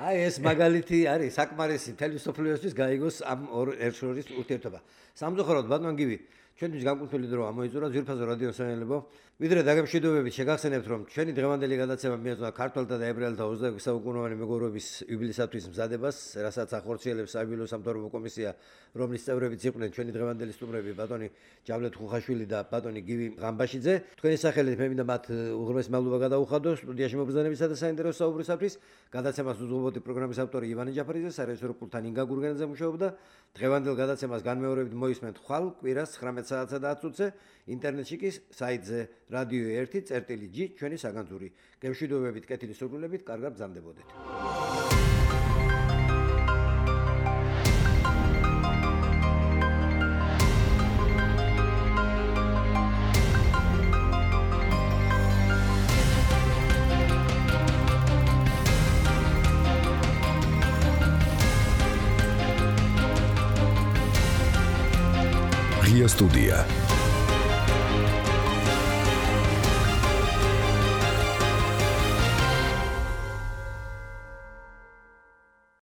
აი ეს მაგალითი არის საკმარისი მთელი სოფლიოსთვის გაიგოს ამ ორ ერთშორის ურთიერთობა. სამწუხაროდ ბატონ გივი ჩვენთვის განკუთვნილი დრო ამოიწურა ძვირფასო რადიო საინელებო. ვიდრე დაგემშვიდობებით შეგახსენებთ რომ ჩვენი დღევანდელი გადაცემა მიეძღვნა ქართველთა და ებრაელთა ოცდაექვსი საუკუნოვანი მეგობრობის იუბილეისათვის მზადებას, რასაც ახორციელებს საიუბილეო სამთავრობო კომისია, რომლის წევრებიც იყვნენ ჩვენი დღევანდელი სტუმრები ბატონი ჯავლეთ ხუხაშვილი და ბატონი გივი ღამბაშიძე. თქვენი სახელით მე მინდა მათ უღრმესი მადლობა გადაუხადო სტუდიაში მობრძანებისა და საინტერესო საუბრისათვის. გადაცემას უძღვებოდი პროგრამის ავტორი ივანე ჯაფარიძე, სარეჟისორო პულტთან ინგა გურგენაძე მუშაობდა. დღევანდელ გადაცემას განმეორებით მოისმენთ ხვალ კვირას ცხრამეტ საათსა და ათ წუთზე ინტერნეტში კი საიტზე რადიო ერთი წერტილი ჯი ჩვენი საგანძური. გემშვიდობებით, კეთილი სურვილებით, კარგად ბრძანდებოდეთ. Ria Studia.